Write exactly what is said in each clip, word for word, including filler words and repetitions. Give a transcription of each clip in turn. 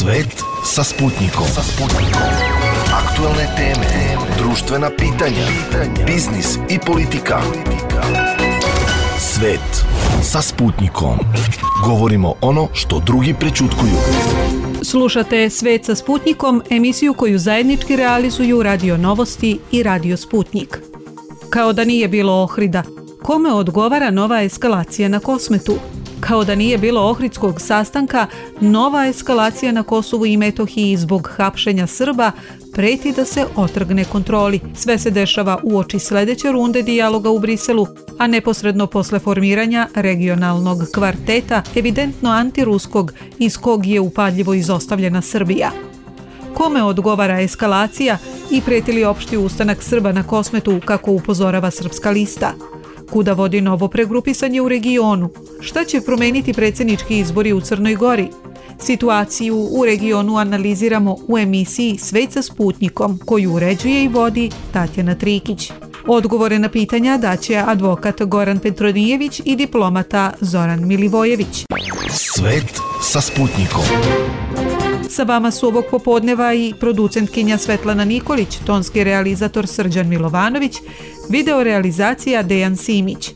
Svet sa Sputnikom. Sa Sputnikom. Aktualne teme, društvena pitanja, biznis i politika. Svet sa Sputnikom. Govorimo ono što drugi prećutkuju. Slušate Svet sa Sputnikom, emisiju koju zajednički realizuju Radio Novosti i Radio Sputnik. Kao da nije bilo Ohrida, kome odgovara nova eskalacija na Kosmetu? Kao da nije bilo ohridskog sastanka, nova eskalacija na Kosovu i Metohiji zbog hapšenja Srba preti da se otrgne kontroli. Sve se dešava uoči sledeće runde dijaloga u Briselu, a neposredno posle formiranja regionalnog kvarteta, evidentno antiruskog, iz kog je upadljivo izostavljena Srbija. Kome odgovara eskalacija i preti li opšti ustanak Srba na Kosmetu, kako upozorava Srpska lista? Kuda vodi novo pregrupisanje u regionu? Šta će promeniti predsjednički izbori u Crnoj Gori? Situaciju u regionu analiziramo u emisiji Svet sa Sputnikom, koju uređuje i vodi Tatjana Trikić. Odgovore na pitanja daće advokat Goran Petronijević i diplomata Zoran Milivojević. Svet sa Sputnikom. Sa vama su ovog popodneva i producentkinja Svetlana Nikolić, tonski realizator Srđan Milovanović, video realizacija Dejan Simić.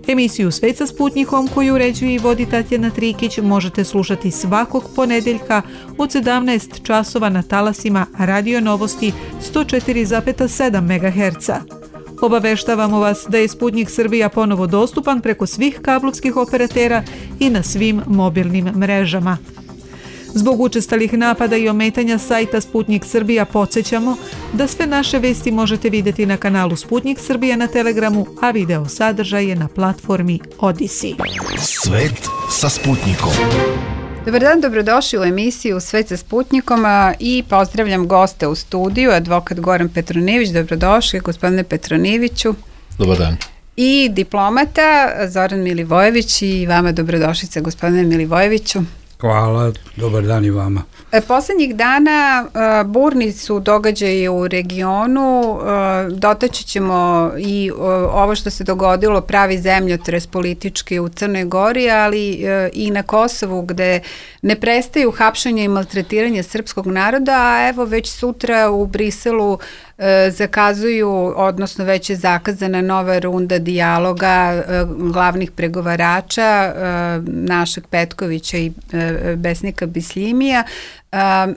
Emisiju Svet sa Sputnikom, koju uređuje i vodi Tatjana Trikić, možete slušati svakog ponedeljka od sedamnaest časova na talasima Radio Novosti sto četiri zarez sedam megaherca. Obaveštavamo vas da je Sputnik Srbija ponovo dostupan preko svih kablovskih operatera i na svim mobilnim mrežama. Zbog učestalih napada i ometanja sajta Sputnik Srbija podsjećamo da sve naše vesti možete vidjeti na kanalu Sputnik Srbija na Telegramu, a video sadržaj je na platformi Odisi. Svet sa Sputnikom. Dobar dan, dobrodošli u emisiju Svet sa Sputnikom i pozdravljam goste u studiju, advokat Goran Petronijević. Dobrodošli, gospodine Petronijeviću. Dobar dan. I diplomata Zoran Milivojević i vama dobrodošlice, gospodine Milivojeviću. Hvala, dobar dan i vama. Poslednjih dana uh, burni su događaji u regionu, uh, dotaći ćemo i uh, ovo što se dogodilo, pravi zemljotres politički u Crnoj Gori, ali uh, i na Kosovu, gde ne prestaju hapšenje i maltretiranje srpskog naroda, a evo već sutra u Briselu zakazuju, odnosno već je zakazana nova runda dijaloga glavnih pregovarača našeg Petkovića i Besnika Bisljimija.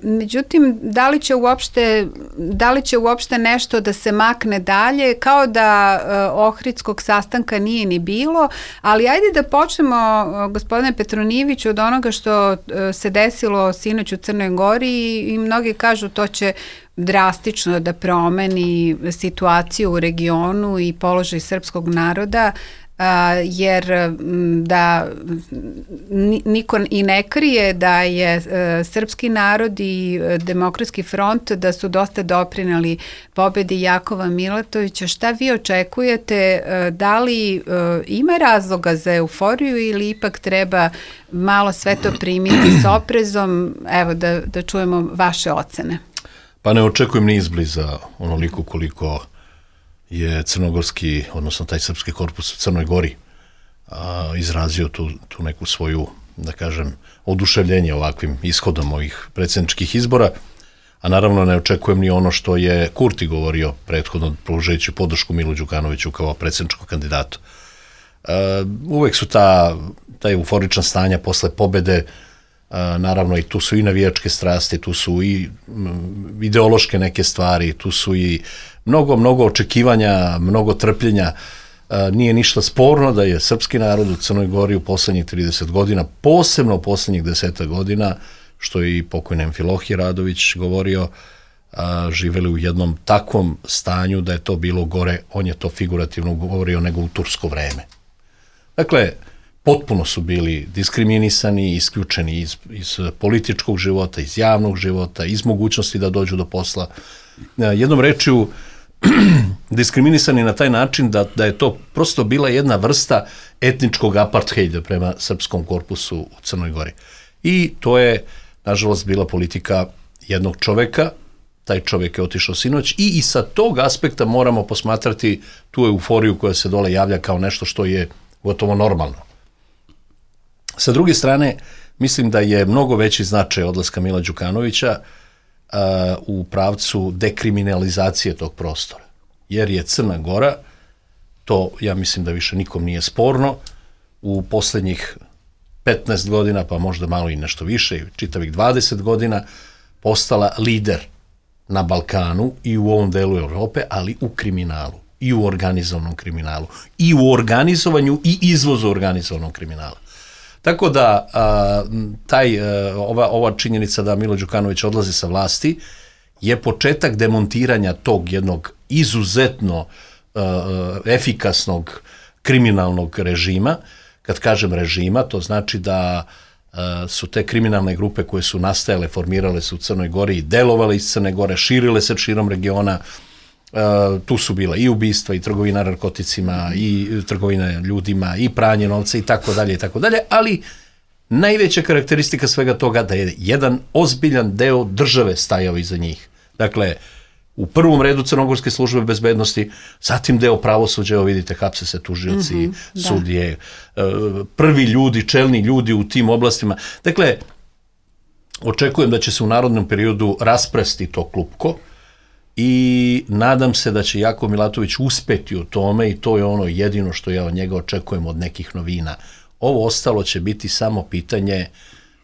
Međutim, da li će uopšte, da li će uopšte nešto da se makne dalje, kao da ohridskog sastanka nije ni bilo, ali ajde da počnemo, gospodine Petronijeviću, od onoga što se desilo sinoć u Crnoj Gori i mnogi kažu to će drastično da promeni situaciju u regionu i položaj srpskog naroda, jer da niko i ne krije da je srpski narod i Demokratski front da su dosta doprineli pobedi Jakova Milatovića. Šta vi očekujete? Da li ima razloga za euforiju ili ipak treba malo sve to primiti s oprezom? Evo da, da čujemo vaše ocene. Pa ne očekujem ni izbliza onoliko koliko je crnogorski, odnosno taj srpski korpus u Crnoj Gori a, izrazio tu, tu neku svoju, da kažem, oduševljenje ovakvim ishodom ovih predsjedničkih izbora, a naravno ne očekujem ni ono što je Kurti govorio prethodno, pružajući podršku Milu Đukanoviću kao predsjedničkom kandidatu. A, uvek su ta, ta euforična stanja posle pobede, a, naravno i tu su i navijačke strasti, tu su i m, ideološke neke stvari, tu su i mnogo, mnogo očekivanja, mnogo trpljenja. E, nije ništa sporno da je srpski narod u Crnoj Gori u poslednjih trideset godina, posebno u poslednjih deseta godina, što je i pokojni Amfilohije Radović govorio, a, živeli u jednom takvom stanju da je to bilo gore, on je to figurativno govorio, nego u tursko vreme. Dakle, potpuno su bili diskriminisani, isključeni iz, iz političkog života, iz javnog života, iz mogućnosti da dođu do posla. Jednom rečju, diskriminisani na taj način da, da je to prosto bila jedna vrsta etničkog apartheida prema srpskom korpusu u Crnoj Gori. I to je, nažalost, bila politika jednog čoveka, taj čovek je otišao sinoć i, i sa tog aspekta moramo posmatrati tu euforiju koja se dole javlja kao nešto što je gotovo normalno. Sa druge strane, mislim da je mnogo veći značaj odlaska Mila Đukanovića uh, u pravcu dekriminalizacije tog prostora. Jer je Crna Gora, to ja mislim da više nikom nije sporno, u poslednjih petnaest godina, pa možda malo i nešto više, čitavih dvadeset godina, postala lider na Balkanu i u ovom delu Evrope, ali u kriminalu, i u organizovanom kriminalu, i u organizovanju i izvozu organizovanog kriminala. Tako da a, taj, a, ova, ova činjenica da Milo Đukanović odlazi sa vlasti je početak demontiranja tog jednog izuzetno a, efikasnog kriminalnog režima. Kad kažem režima, to znači da a, su te kriminalne grupe koje su nastajale, formirale se u Crnoj Gori i delovale iz Crne Gore, širile se širom regiona. Uh, tu su bila i ubistva, i trgovina narkoticima, i trgovina ljudima, i pranje novca, i tako dalje, i tako dalje, ali najveća karakteristika svega toga da je jedan ozbiljan deo države stajao iza njih. Dakle, u prvom redu Crnogorske službe bezbednosti, zatim deo pravosuđa, evo vidite, hapse se tužioci, mm-hmm, sudije, uh, prvi ljudi, čelni ljudi u tim oblastima. Dakle, očekujem da će se u narodnom periodu raspresti to klupko, i nadam se da će Jakov Milatović uspeti u tome, i to je ono jedino što ja od njega očekujem od nekih novina. Ovo ostalo će biti samo pitanje,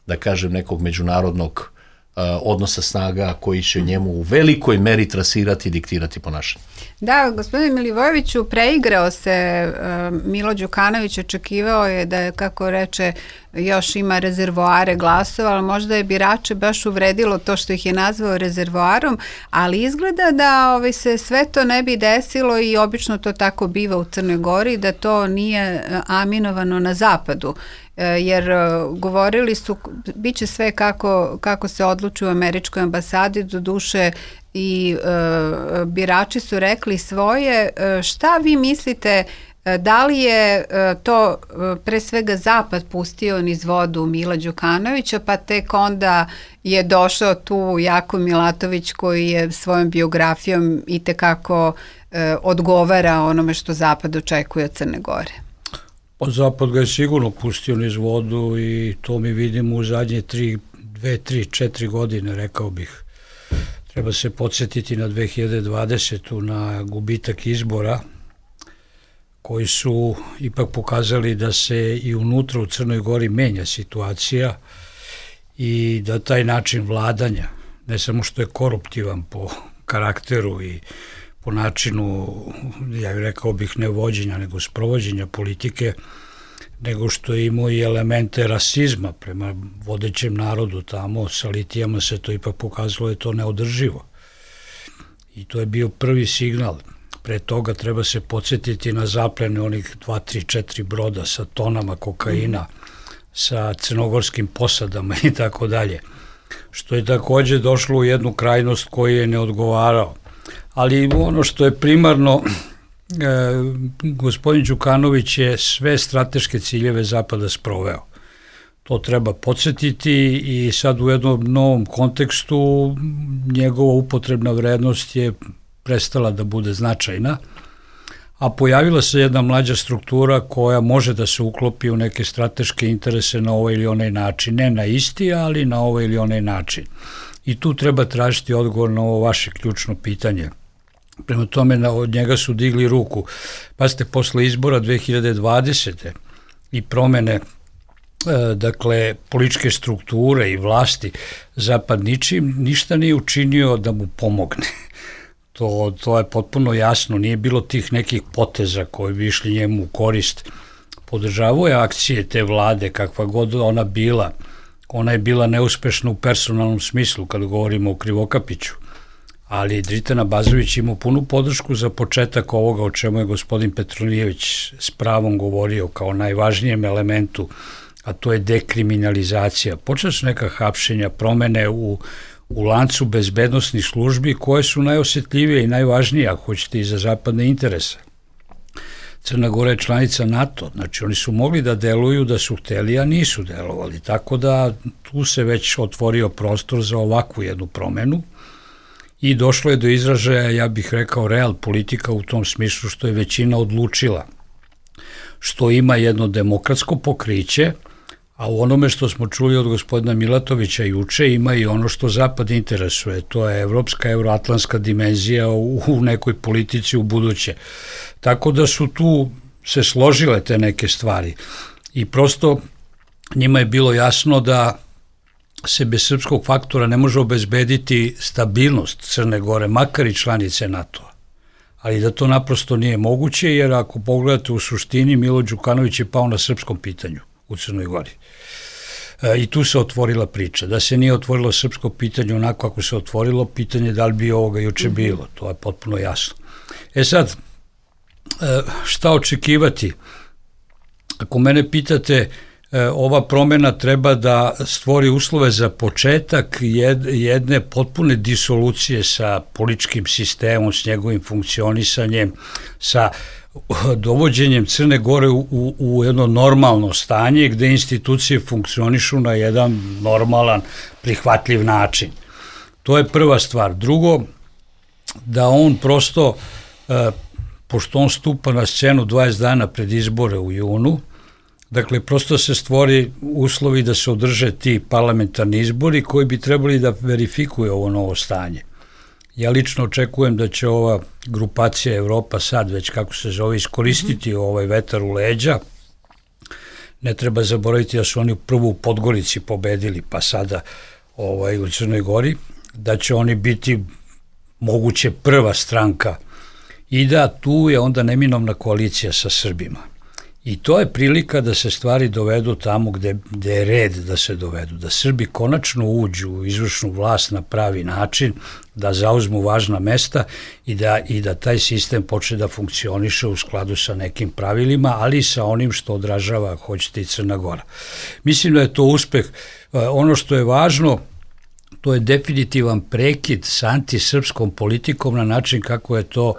da kažem, nekog međunarodnog uh, odnosa snaga koji će njemu u velikoj meri trasirati i diktirati ponašanje. Da, gospodine Milivojeviću, preigrao se uh, Milo Đukanović, očekivao je da je, kako reče, još ima rezervoare glasova, ali možda je birače baš uvredilo to što ih je nazvao rezervoarom, ali izgleda da ovaj, se sve to ne bi desilo, i obično to tako biva u Crnoj Gori, da to nije aminovano na zapadu, jer govorili su bit će sve kako, kako se odluči u američkoj ambasadi, do duše i e, birači su rekli svoje. E, šta vi mislite, da li je e, to e, pre svega zapad pustio niz vodu Mila Đukanovića, pa tek onda je došao tu Jakov Milatović koji je svojom biografijom itekako e, odgovara onome što zapad očekuje od Crne Gore? Pa zapad ga je sigurno pustio niz vodu, i to mi vidimo u zadnje tri, dve, tri, četiri godine, rekao bih. Treba se podsjetiti na dve hiljade dvadesetu, na gubitak izbora, koji su ipak pokazali da se i unutra u Crnoj Gori menja situacija, i da taj način vladanja, ne samo što je koruptivan po karakteru i po načinu, ja bih rekao bih, ne vođenja, nego sprovođenja politike, nego što je imao i elemente rasizma prema vodećem narodu tamo. Sa litijama se to ipak pokazalo da je to neodrživo. I to je bio prvi signal. Pre toga treba se podsjetiti na zaplene onih dva, tri, četiri broda sa tonama kokaina, sa crnogorskim posadama i tako dalje. Što je takođe došlo u jednu krajnost koju je ne odgovarao. Ali ono što je primarno, e, gospodin Đukanović je sve strateške ciljeve zapada sproveo. To treba podsjetiti, i sad u jednom novom kontekstu njegova upotrebna vrednost je prestala da bude značajna, a pojavila se jedna mlađa struktura koja može da se uklopi u neke strateške interese na ovaj ili onaj način. Ne na isti, ali na ovaj ili onaj način. I tu treba tražiti odgovor na ovo vaše ključno pitanje. Prema tome, od njega su digli ruku. Pazite, posle izbora dve hiljade dvadesete i promene, dakle, političke strukture i vlasti, zapad ničim, ništa nije učinio da mu pomogne. To, to je potpuno jasno, nije bilo tih nekih poteza koji bi išli njemu u korist. Podržavao je akcije te vlade, kakva god ona bila. Ona je bila neuspešna u personalnom smislu, kada govorimo o Krivokapiću. Ali Dritan Abazović imao punu podršku za početak ovoga o čemu je gospodin Petronijević s pravom govorio kao najvažnijem elementu, a to je dekriminalizacija. Počela su neka hapšenja, promene u, u lancu bezbednosnih službi koje su najosetljivije i najvažnije, ako hoćete, i za zapadne interese. Crna Gora je članica NATO, znači oni su mogli da deluju da su hteli, a nisu delovali, tako da tu se već otvorio prostor za ovakvu jednu promenu. I došlo je do izražaja, ja bih rekao, real politika u tom smislu što je većina odlučila, što ima jedno demokratsko pokriće, A u onome što smo čuli od gospodina Milatovića juče ima i ono što Zapad interesuje, to je evropska, euroatlantska dimenzija u, u nekoj politici u buduće. Tako da su tu se složile te neke stvari i prosto njima je bilo jasno da se bez srpskog faktora ne može obezbediti stabilnost Crne Gore, makar i članice NATO-a. Ali da to naprosto nije moguće, jer ako pogledate u suštini, Milo Đukanović je pao na srpskom pitanju u Crnoj Gori. E, I tu se otvorila priča. Da se nije otvorilo srpsko pitanje onako kako se otvorilo, pitanje da li bi ovoga juče bilo, to je potpuno jasno. E sad, e, šta očekivati? Ako mene pitate, ova promjena treba da stvori uslove za početak jedne potpune disolucije sa političkim sistemom, s njegovim funkcionisanjem, sa dovođenjem Crne Gore u, u, u jedno normalno stanje gde institucije funkcionišu na jedan normalan, prihvatljiv način. To je prva stvar. Drugo, da on prosto, pošto on stupa na scenu dvadeset dana pred izbore u junu, dakle, prosto se stvori uslovi da se održe ti parlamentarni izbori koji bi trebali da verifikuju ovo novo stanje. Ja lično očekujem da će ova grupacija Evropa sad, već kako se zove, iskoristiti mm-hmm. ovaj vetar u leđa. Ne treba zaboraviti da su oni prvo u Podgorici pobedili, pa sada ovaj, u Crnoj Gori, da će oni biti moguće prva stranka i da tu je onda neminovna koalicija sa Srbima. I to je prilika da se stvari dovedu tamo gde, gde je red da se dovedu, da Srbi konačno uđu u izvršnu vlast na pravi način, da zauzmu važna mesta i da, i da taj sistem počne da funkcioniše u skladu sa nekim pravilima, ali i sa onim što odražava, hoćete, i Crna Gora. Mislim da je to uspeh. Ono što je važno, to je definitivan prekid sa antisrpskom politikom na način kako je to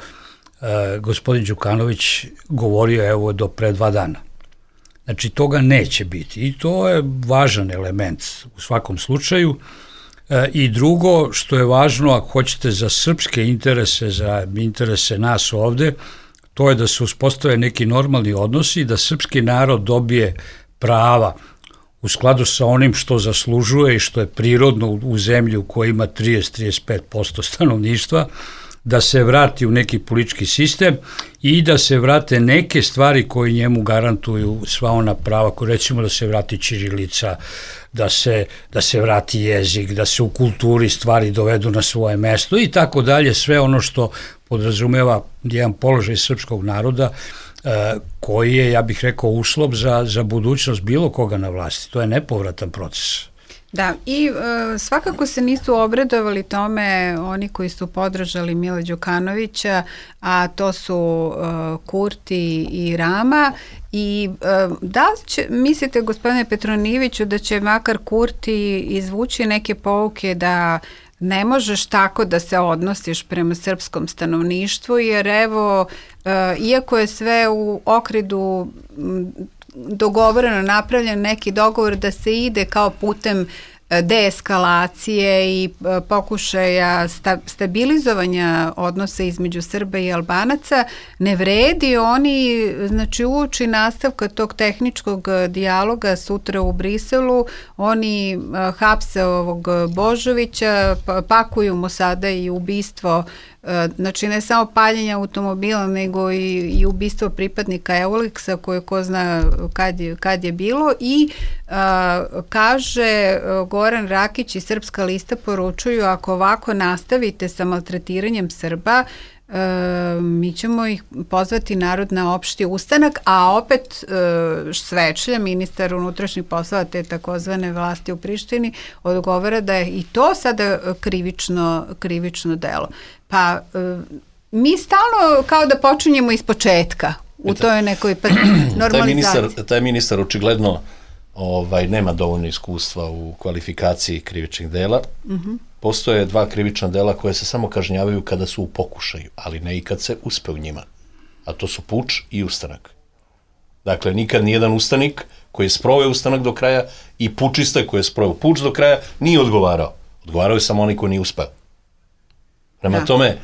Uh, gospodin Đukanović govorio evo do pre dva dana. Znači toga neće biti i to je važan element u svakom slučaju. Uh, I drugo što je važno, ako hoćete, za srpske interese, za interese nas ovde, to je da se uspostave neki normalni odnosi, da srpski narod dobije prava u skladu sa onim što zaslužuje i što je prirodno u, u zemlji u kojoj ima trideset do trideset pet posto stanovništva, da se vrati u neki politički sistem i da se vrate neke stvari koje njemu garantuju sva ona prava, koje recimo da se vrati ćirilica, da se, da se vrati jezik, da se u kulturi stvari dovedu na svoje mesto i tako dalje, sve ono što podrazumeva jedan položaj srpskog naroda eh, koji je, ja bih rekao, uslov za, za budućnost bilo koga na vlasti. To je nepovratan proces. Da, i e, svakako se nisu obradovali tome oni koji su podržali Mila Đukanovića, a to su e, Kurti i Rama. I e, da li će, mislite, gospodine Petronijeviću, da će makar Kurti izvući neke pouke da ne možeš tako da se odnosiš prema srpskom stanovništvu, jer evo, e, iako je sve u okridu dogovoreno, napravljen neki dogovor da se ide kao putem deeskalacije i pokušaja sta, stabilizovanja odnosa između Srba i Albanaca, ne vredi. Oni, znači, uoči nastavka tog tehničkog dijaloga sutra u Briselu, oni hapse ovog Božovića, pakuju mu sada i ubistvo, znači ne samo paljenje automobila, nego i, i ubistvo pripadnika Euliksa koje ko zna kad je, kad je bilo. I a, kaže Goran Rakić i Srpska lista poručuju, ako ovako nastavite sa maltretiranjem Srba, E, mi ćemo ih pozvati narod na opšti ustanak, a opet e, Svečlja, ministar unutrašnjih poslova te takozvane vlasti u Prištini, odgovara da je i to sada krivično, krivično delo. Pa e, mi stalno kao da počinjemo iz početka u toj nekoj normalizaciji. Taj ministar, taj ministar očigledno ovaj, nema dovoljno iskustva u kvalifikaciji krivičnih dela. Uh-huh. Postoje dva krivična dela koje se samo kažnjavaju kada su u pokušaju, ali ne i kad se uspe u njima. A to su puč i ustanak. Dakle, nikad nijedan ustanik koji je sproveo ustanak do kraja i pučista koji je sproveo puč do kraja nije odgovarao. Odgovarao je samo onaj koji nije uspeo. Prema da. tome,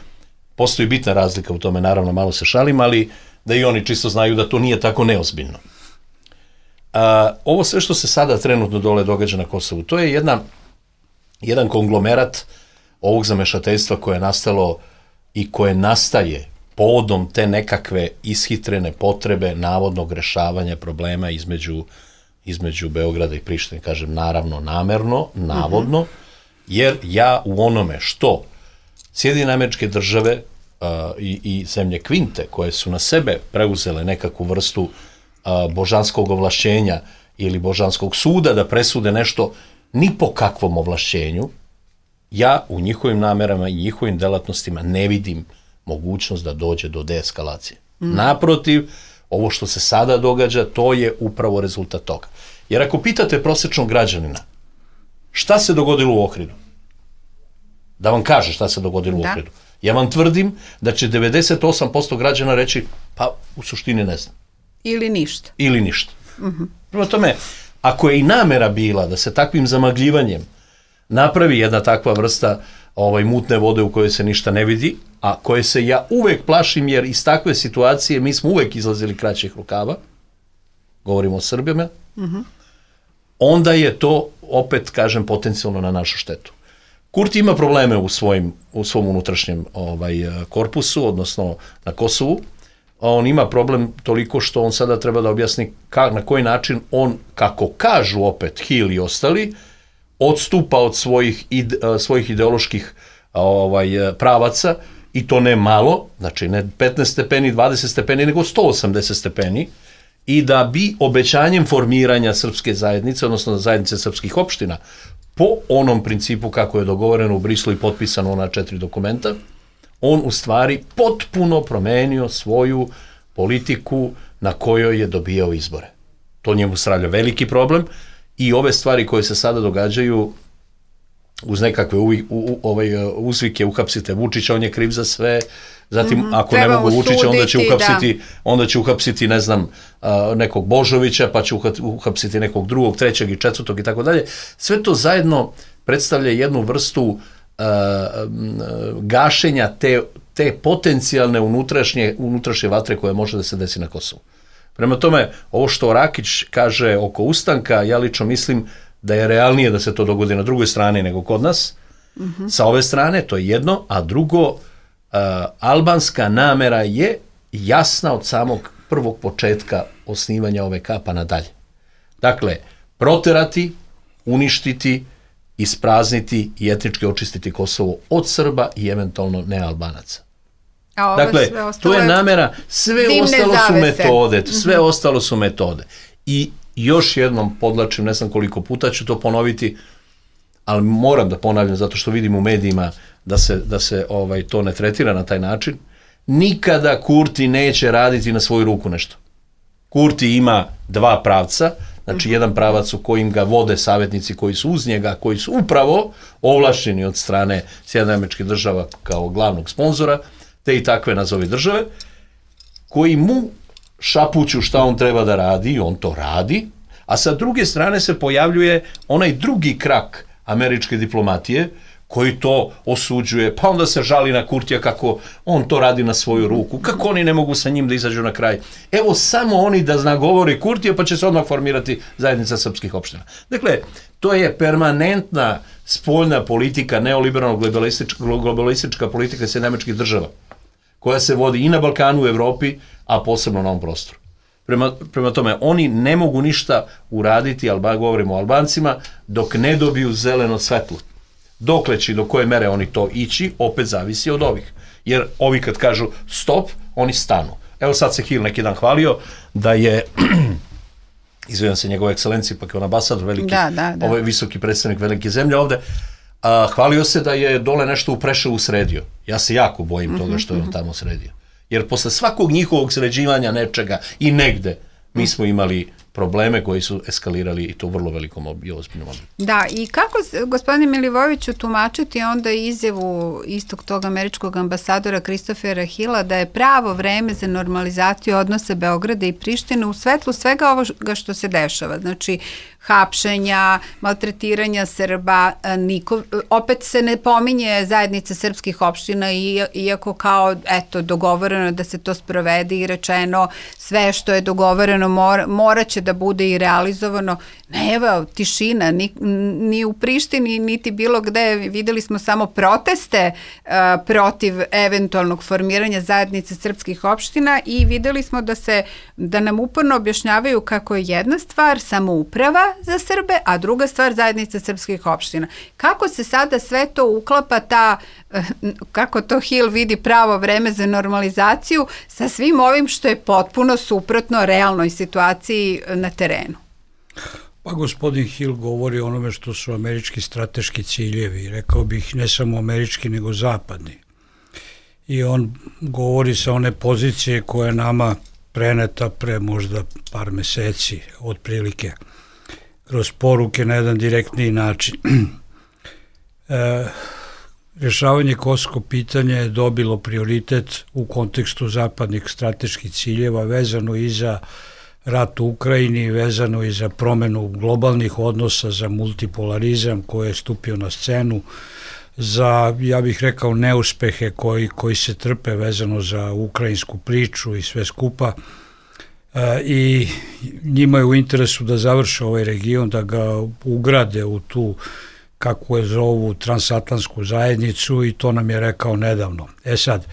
postoji bitna razlika u tome, naravno malo se šalim, ali da i oni čisto znaju da to nije tako neozbiljno. a, ovo sve što se sada trenutno dole događa na Kosovu, to je jedna, jedan konglomerat ovog zamešateljstva koje je nastalo i koje nastaje povodom te nekakve ishitrene potrebe navodnog rešavanja problema između, između Beograda i Prištine. Kažem, naravno, namerno, navodno, uh-huh. jer ja u onome što Sjedinjene Američke Države uh, i, i zemlje Kvinte, koje su na sebe preuzele nekakvu vrstu uh, božanskog ovlašćenja ili božanskog suda da presude nešto ni po kakvom ovlašćenju, ja u njihovim namerama i njihovim delatnostima ne vidim mogućnost da dođe do deeskalacije. Mm. Naprotiv, ovo što se sada događa, to je upravo rezultat toga. Jer ako pitate prosječnog građanina, šta se dogodilo u Ohridu? Da vam kaže šta se dogodilo da. u Ohridu. Ja vam tvrdim da će devedeset osam posto građana reći, pa u suštini ne znam. Ili ništa. Ili ništa. Mm-hmm. Prema tome, ako je i namera bila da se takvim zamagljivanjem napravi jedna takva vrsta ovaj, mutne vode u kojoj se ništa ne vidi, a koje se ja uvek plašim, jer iz takve situacije mi smo uvek izlazili kraćih rukava, govorimo o Srbima, mm-hmm. onda je to, opet kažem, potencijalno na našu štetu. Kurti ima probleme u, svojim, u svom unutrašnjem ovaj, korpusu, odnosno na Kosovu. On ima problem toliko što on sada treba da objasni ka, na koji način on, kako kažu opet Hill i ostali, odstupa od svojih, ide, svojih ideoloških ovaj, pravaca, i to ne malo, znači ne petnaest stepeni, dvadeset stepeni, nego sto osamdeset stepeni, i da bi obećanjem formiranja srpske zajednice, odnosno zajednice srpskih opština, po onom principu kako je dogovoreno u Brislu i potpisano ona četiri dokumenta, on u stvari potpuno promenio svoju politiku na kojoj je dobijao izbore. To njemu stvarlja veliki problem, i ove stvari koje se sada događaju uz nekakve u, u, u, ovaj, uzvike uhapsite Vučića, on je kriv za sve, zatim mm-hmm. ako treba ne mogu Vučića, onda će uhapsiti, da. onda će uhapsiti ne znam, nekog Božovića, pa će uhapsiti nekog drugog, trećeg i četvrtog i tako dalje. Sve to zajedno predstavlja jednu vrstu uh, gašenja te, te potencijalne unutrašnje, unutrašnje vatre koje može da se desi na Kosovu. Prema tome, ovo što Rakić kaže oko ustanka, ja lično mislim da je realnije da se to dogodi na drugoj strani nego kod nas. Mm-hmm. Sa ove strane, to je jedno, a drugo, uh, albanska namera je jasna od samog prvog početka osnivanja O V K pa nadalje. Dakle, proterati, uništiti, isprazniti i etnički očistiti Kosovo od Srba i eventualno nealbanaca. Dakle, to je namera, sve ostalo su metode, sve mm-hmm. ostalo su metode. I još jednom podlačim, ne znam koliko puta ću to ponoviti, ali moram da ponavljam zato što vidim u medijima da se, da se ovaj, to ne tretira na taj način. Nikada Kurti neće raditi na svoju ruku nešto. Kurti ima dva pravca, znači jedan pravac u kojim ga vode savjetnici koji su uz njega, koji su upravo ovlašćeni od strane Sjedinjenih Američkih Država kao glavnog sponzora, te i takve nazovi države, koji mu šapuću šta on treba da radi, i on to radi, a sa druge strane se pojavljuje onaj drugi krak američke diplomatije, koji to osuđuje, pa onda se žali na Kurtija kako on to radi na svoju ruku, kako oni ne mogu sa njim da izađu na kraj. Evo, samo oni da nagovori Kurtija, pa će se odmah formirati zajednica srpskih opština. Dakle, to je permanentna spoljna politika, neoliberalno globalistička, globalistička politika Sjedinjenih Američkih Država, koja se vodi i na Balkanu, u Evropi, a posebno na ovom prostoru. Prema, prema tome, oni ne mogu ništa uraditi, Alba, govorimo o Albancima, dok ne dobiju zeleno svetlo. Dokle će, do koje mere oni to ići, opet zavisi od ovih. Jer ovi kad kažu stop, oni stanu. Evo sad se Hill neki dan hvalio da je, izvijem se njegove ekscelencije, pa kao ambasador, veliki, da, da, da. ovaj visoki predstavnik velike zemlje ovde, a, hvalio se da je dole nešto u Preševu sredio. Ja se jako bojim toga što je on tamo sredio. Jer posle svakog njihovog sređivanja nečega i negde, mi smo imali probleme koji su eskalirali, i to u vrlo velikom i ozbiljnom obliku. Da, i kako, gospodine Milivojeviću, tumačiti onda izjavu istog tog američkog ambasadora Christophera Hilla da je pravo vreme za normalizaciju odnosa Beograda i Prištine u svetlu svega ovoga što se dešava. Znači, hapšenja, maltretiranja Srba, niko, opet se ne pominje zajednica srpskih opština, iako kao, eto, dogovoreno da se to sprovede i rečeno sve što je dogovoreno mora, morat će da bude i realizovano. Ne, evo, tišina, ni, ni u Prištini, niti bilo gde, videli smo samo proteste uh, protiv eventualnog formiranja zajednice srpskih opština i videli smo da se, da nam uporno objašnjavaju kako je jedna stvar samouprava za Srbe, a druga stvar zajednica srpskih opština. Kako se sada sve to uklapa, ta, uh, kako to Hill vidi pravo vreme za normalizaciju sa svim ovim što je potpuno suprotno realnoj situaciji na terenu? Pa gospodin Hill govori o onome što su američki strateški ciljevi, rekao bih ne samo američki nego zapadni. I on govori sa one pozicije koja je nama preneta pre možda par meseci, otprilike, kroz poruke na jedan direktniji način. e, rešavanje kosovskog pitanja je dobilo prioritet u kontekstu zapadnih strateških ciljeva, vezano i za rat u Ukrajini, vezano i za promenu globalnih odnosa, za multipolarizam koji je stupio na scenu, za, ja bih rekao, neuspehe koji, koji se trpe vezano za ukrajinsku priču i sve skupa. E, I njima je u interesu da završe ovaj region, da ga ugrade u tu, kako je zovu, transatlantsku zajednicu, i to nam je rekao nedavno. E sad,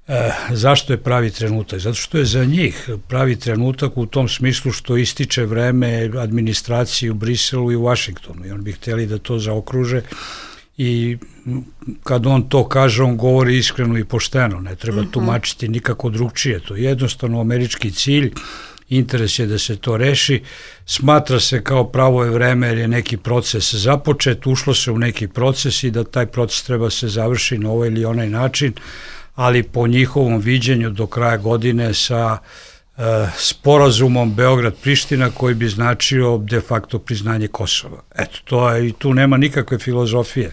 E, zašto je pravi trenutak? Zato što je za njih pravi trenutak u tom smislu što ističe vreme administraciji u Briselu i u Vašingtonu i on bi htjeli da to zaokruže i kad on to kaže, on govori iskreno i pošteno, ne treba tumačiti nikako drugčije, to je jednostavno američki cilj, interes je da se to reši, smatra se kao pravo je vreme jer je neki proces započet, ušlo se u neki proces i da taj proces treba se završi na ovaj ili onaj način, ali po njihovom viđenju do kraja godine sa e, sporazumom Beograd-Priština koji bi značio de facto priznanje Kosova. Eto, to je, i tu nema nikakve filozofije.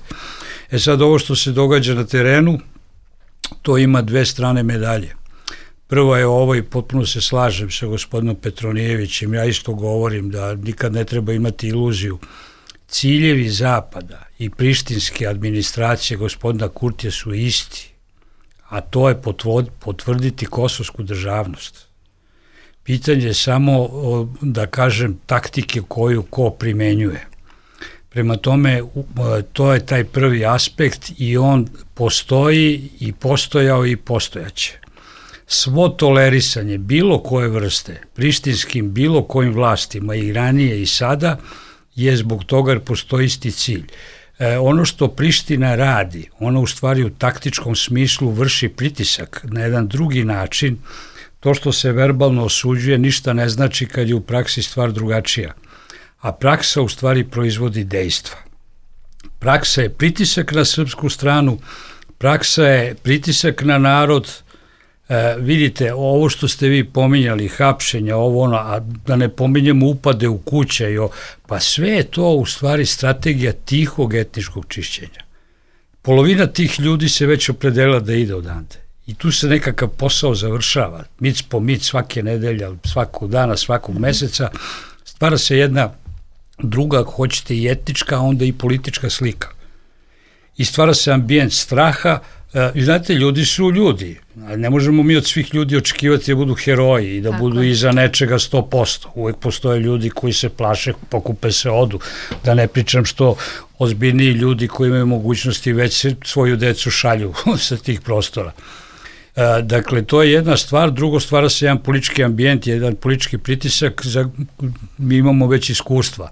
E sad, ovo što se događa na terenu, to ima dve strane medalje. Prva je ovo i potpuno se slažem sa gospodinom Petronijevićem, ja isto govorim da nikad ne treba imati iluziju. Ciljevi Zapada i prištinske administracije gospodina Kurtija su isti, a to je potvrditi kosovsku državnost. Pitanje je samo, da kažem, taktike koju ko primenjuje. Prema tome, to je taj prvi aspekt i on postoji i postojao i postojaće. Svo tolerisanje bilo koje vrste, prištinskim bilo kojim vlastima i ranije i sada, je zbog toga jer postoji isti cilj. E, ono što Priština radi, ono u stvari u taktičkom smislu vrši pritisak na jedan drugi način, to što se verbalno osuđuje ništa ne znači kad je u praksi stvar drugačija. A praksa u stvari proizvodi dejstva. Praksa je pritisak na srpsku stranu, praksa je pritisak na narod. E, vidite, ovo što ste vi pominjali, hapšenja, ovo ono, a da ne pominjemo upade u kuće, jo, pa sve je to u stvari strategija tihog etničkog čišćenja. Polovina tih ljudi se već opredela da ide odande. I tu se nekakav posao završava. Mic po mic, svake nedelja, svakog dana, svakog meseca, stvara se jedna druga, ako hoćete, i etnička, a onda i politička slika. I stvara se ambijent straha. I znate, ljudi su ljudi. Ne možemo mi od svih ljudi očekivati da budu heroji i da Tako budu je. iza nečega sto posto. Uvek postoje ljudi koji se plaše, pokupe se, odu. Da ne pričam što ozbiljniji ljudi koji imaju mogućnosti već svoju decu šalju sa tih prostora. Dakle, to je jedna stvar. Drugo, stvara se jedan politički ambijent, jedan politički pritisak. Za, mi imamo već iskustva.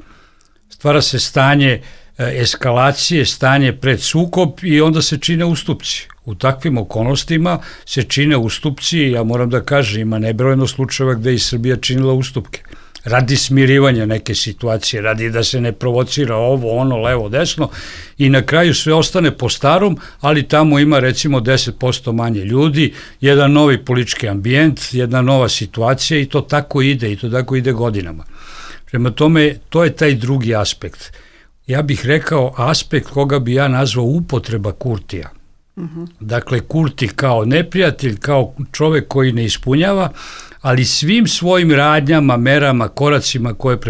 Stvara se stanje eskalacije, stanje pred sukob i onda se čine ustupci. U takvim okolnostima se čine ustupci, ja moram da kažem, ima nebrojeno slučajeva gde i Srbija činila ustupke. Radi smirivanja neke situacije, radi da se ne provocira ovo, ono, levo, desno i na kraju sve ostane po starom, ali tamo ima recimo deset posto manje ljudi, jedan novi politički ambijent, jedna nova situacija i to tako ide i to tako ide godinama. Prema tome, to je taj drugi aspekt. Ja bih rekao aspekt koga bi ja nazvao upotreba Kurtija. Uh-huh. Dakle, Kurti kao neprijatelj, kao čovek koji ne ispunjava, ali svim svojim radnjama, merama, koracima koje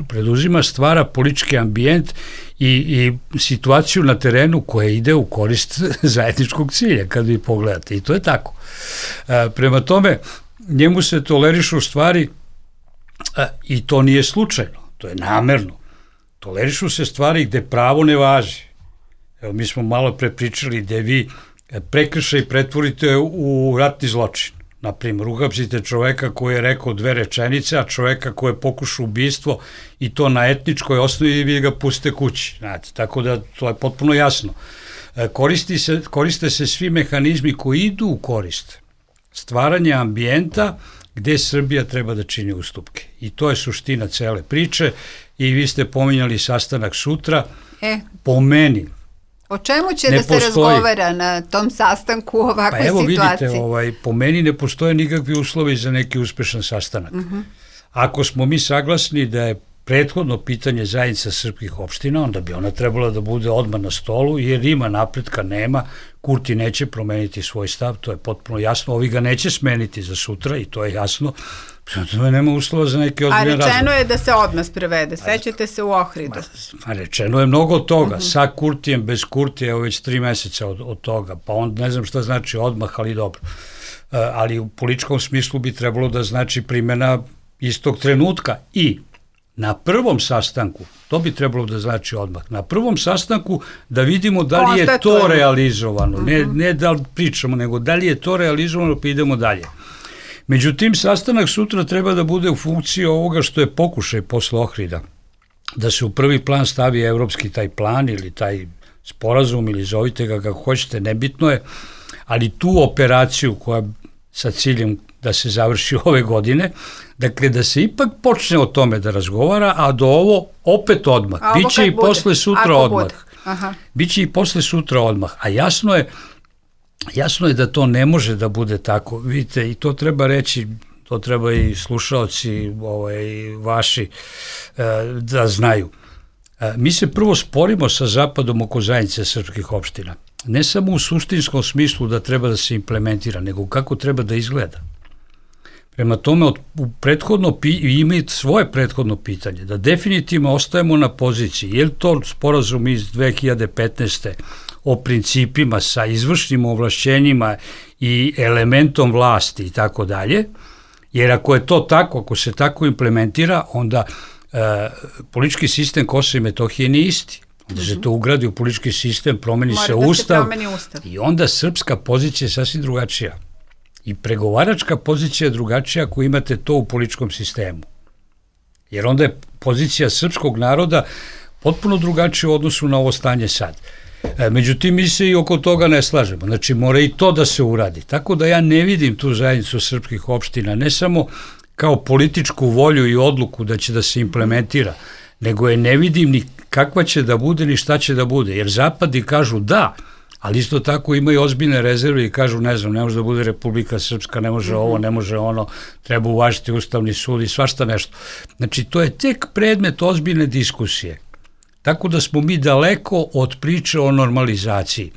preduzima stvara politički ambijent i, i situaciju na terenu koja ide u korist zajedničkog cilja, kad vi pogledate. I to je tako. E, prema tome, njemu se tolerišu stvari e, i to nije slučajno, to je namerno. Tolerišu se stvari gde pravo ne važi. Evo, mi smo malo pre pričali gde vi prekršaj pretvorite u ratni zločin. Naprimjer, uhapsite čoveka koji je rekao dve rečenice, a čoveka koji je pokušao ubistvo i to na etničkoj osnovi i vi ga pustite kući. Znate, tako da to je potpuno jasno. Koristi se, koriste se svi mehanizmi koji idu u korist stvaranja ambijenta gde Srbija treba da čini ustupke. I to je suština cele priče i vi ste pominjali sastanak sutra. E. Po meni, o čemu će ne da se postoji razgovara na tom sastanku u ovakvoj situaciji? Pa evo situaciji? Vidite, ovaj, po meni ne postoje nikakvi uslovi za neki uspešan sastanak. Uh-huh. Ako smo mi saglasni da je prethodno pitanje zajednica srpskih opština, onda bi ona trebala da bude odmah na stolu, jer ima napretka, nema, Kurti neće promeniti svoj stav, to je potpuno jasno, ovi ga neće smeniti za sutra i to je jasno, to nema uslova za neki ozbiljan razlog. A rečeno je da se odmah sprevede, sećate se u Ohridu. A rečeno je mnogo toga, uh-huh. sa Kurtijem, bez Kurtija, evo već tri meseca od, od toga, pa on ne znam šta znači odmah, ali dobro. Uh, ali u političkom smislu bi trebalo da znači primjena istog trenutka i na prvom sastanku, to bi trebalo da znači odmah, na prvom sastanku da vidimo da li je to realizovano, uh-huh. ne, ne da li pričamo, nego da li je to realizovano pa idemo dalje. Međutim, sastanak sutra treba da bude u funkciji ovoga što je pokušaj posle Ohrida, da se u prvi plan stavi evropski taj plan ili taj sporazum ili zovite ga kako hoćete, nebitno je, ali tu operaciju koja sa ciljem da se završi ove godine, dakle da se ipak počne o tome da razgovara, a do ovo opet odmah. Biće i posle sutra odmah. Biće i posle sutra odmah. A jasno je, jasno je da to ne može da bude tako. Vidite, i to treba reći, to treba i slušaoci ovaj, vaši da znaju. Mi se prvo sporimo sa Zapadom oko zajednice srpskih opština. Ne samo u suštinskom smislu da treba da se implementira, nego kako treba da izgleda. Prema tome, od, u prethodno, ima svoje prethodno pitanje, da definitivno ostajemo na poziciji, je li to sporazum iz dve hiljade petnaeste. o principima sa izvršnim ovlašćenjima i elementom vlasti i tako dalje, jer ako je to tako, ako se tako implementira, onda e, politički sistem Kosova i Metohije nije isti. Onda se to ugradi u politički sistem, promeni se ustav, ustav i onda srpska pozicija je sasvim drugačija. I pregovaračka pozicija je drugačija ako imate to u političkom sistemu. Jer onda je pozicija srpskog naroda potpuno drugačija u odnosu na ovo stanje sad. E, međutim, mi se i oko toga ne slažemo. Znači, mora i to da se uradi. Tako da ja ne vidim tu zajednicu srpskih opština, ne samo kao političku volju i odluku da će da se implementira, nego je ne vidim ni kakva će da bude, ni šta će da bude. Jer zapadi kažu da, ali isto tako imaju ozbiljne rezerve i kažu, ne znam, ne može da bude Republika Srpska, ne može ovo, ne može ono, treba uvažiti Ustavni sud i svašta nešto. Znači, to je tek predmet ozbiljne diskusije. Tako da smo mi daleko od priče o normalizaciji.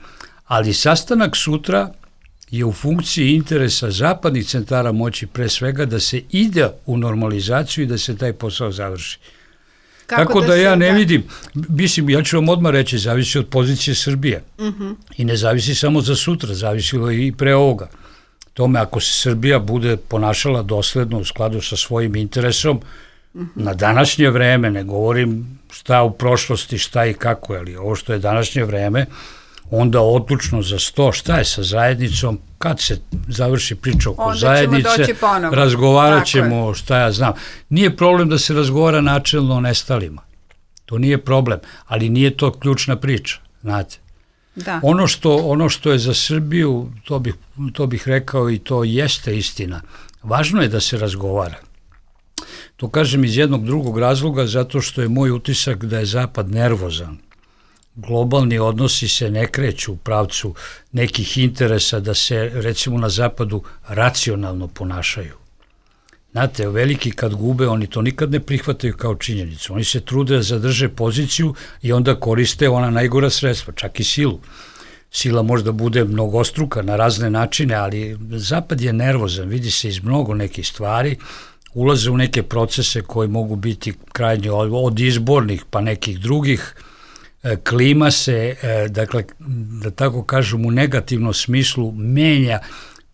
Ali sastanak sutra je u funkciji interesa zapadnih centara moći pre svega da se ide u normalizaciju i da se taj posao završi. Kako Tako da, da ja ne da... vidim, mislim, ja ću vam odmah reći, zavisi od pozicije Srbije. Uh-huh. I ne zavisi samo za sutra, zavisilo i pre ovoga. Tome, ako se Srbija bude ponašala dosledno u skladu sa svojim interesom, uh-huh. na današnje vreme, ne govorim šta u prošlosti, šta i kako, ali ovo što je današnje vreme, onda odlučno za sto, šta je sa zajednicom, kad se završi priča oko onda zajednice, razgovarat ćemo šta ja znam. Nije problem da se razgovara načelno o nestalima. To nije problem, ali nije to ključna priča, znate. Da. Ono što, ono što je za Srbiju, to bih, to bih rekao i to jeste istina. Važno je da se razgovara. To kažem iz jednog drugog razloga, zato što je moj utisak da je Zapad nervozan. Globalni odnosi se ne kreću u pravcu nekih interesa da se, recimo, na Zapadu racionalno ponašaju. Znate, veliki kad gube, oni to nikad ne prihvataju kao činjenicu. Oni se trude da zadrže poziciju i onda koriste ona najgora sredstva, čak i silu. sila možda bude mnogostruka na razne načine, ali Zapad je nervozan, vidi se iz mnogo nekih stvari, ulaze u neke procese koji mogu biti krajnje od izbornih pa nekih drugih, klima se, dakle, da tako kažem, u negativnom smislu menja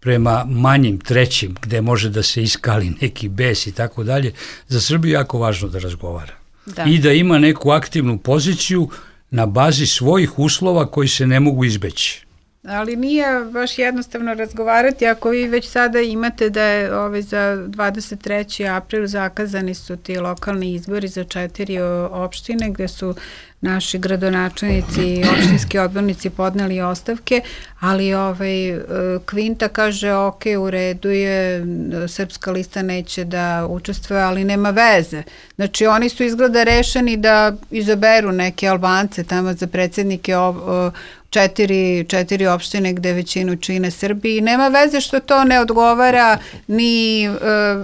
prema manjim trećim, gde može da se iskali neki bes i tako dalje. Za Srbiju je jako važno da razgovara. Da. I da ima neku aktivnu poziciju na bazi svojih uslova koji se ne mogu izbeći. Ali nije baš jednostavno razgovarati ako vi već sada imate da je ove, za dvadeset treći april zakazani su ti lokalni izbori za četiri opštine gde su naši gradonačelnici i opštinski odbornici podneli ostavke, ali ovaj, Kvinta kaže ok, u redu je, Srpska lista neće da učestvuje, ali nema veze. Znači oni su izgleda rešeni da izaberu neke Albance tamo za predsjednike četiri, četiri opštine gde većinu čine Srbi i nema veze što to ne odgovara ni uh,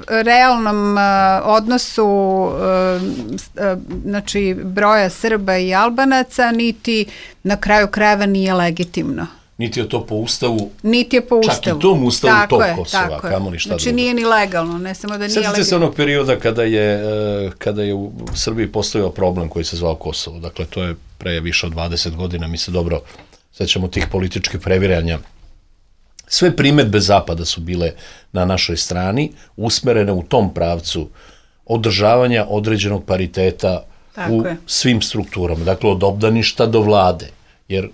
realnom uh, odnosu uh, uh, znači broja Srba i Albanaca, niti na kraju krajeva nije legitimno. Niti je to po ustavu, niti je po ustavu. Čak i tom ustavu tako tog je, Kosova, kamo li šta znači drugo. Nije ni legalno, ne samo da nije legalno. Sjetite se onog perioda kada je, kada je u Srbiji postojao problem koji se zvao Kosovo, dakle to je pre više od dvadeset godina, mi se dobro sećamo tih političkih previranja. Sve primedbe Zapada su bile na našoj strani, usmerene u tom pravcu održavanja određenog pariteta tako u je. Svim strukturama, dakle od obdaništa do vlade, jer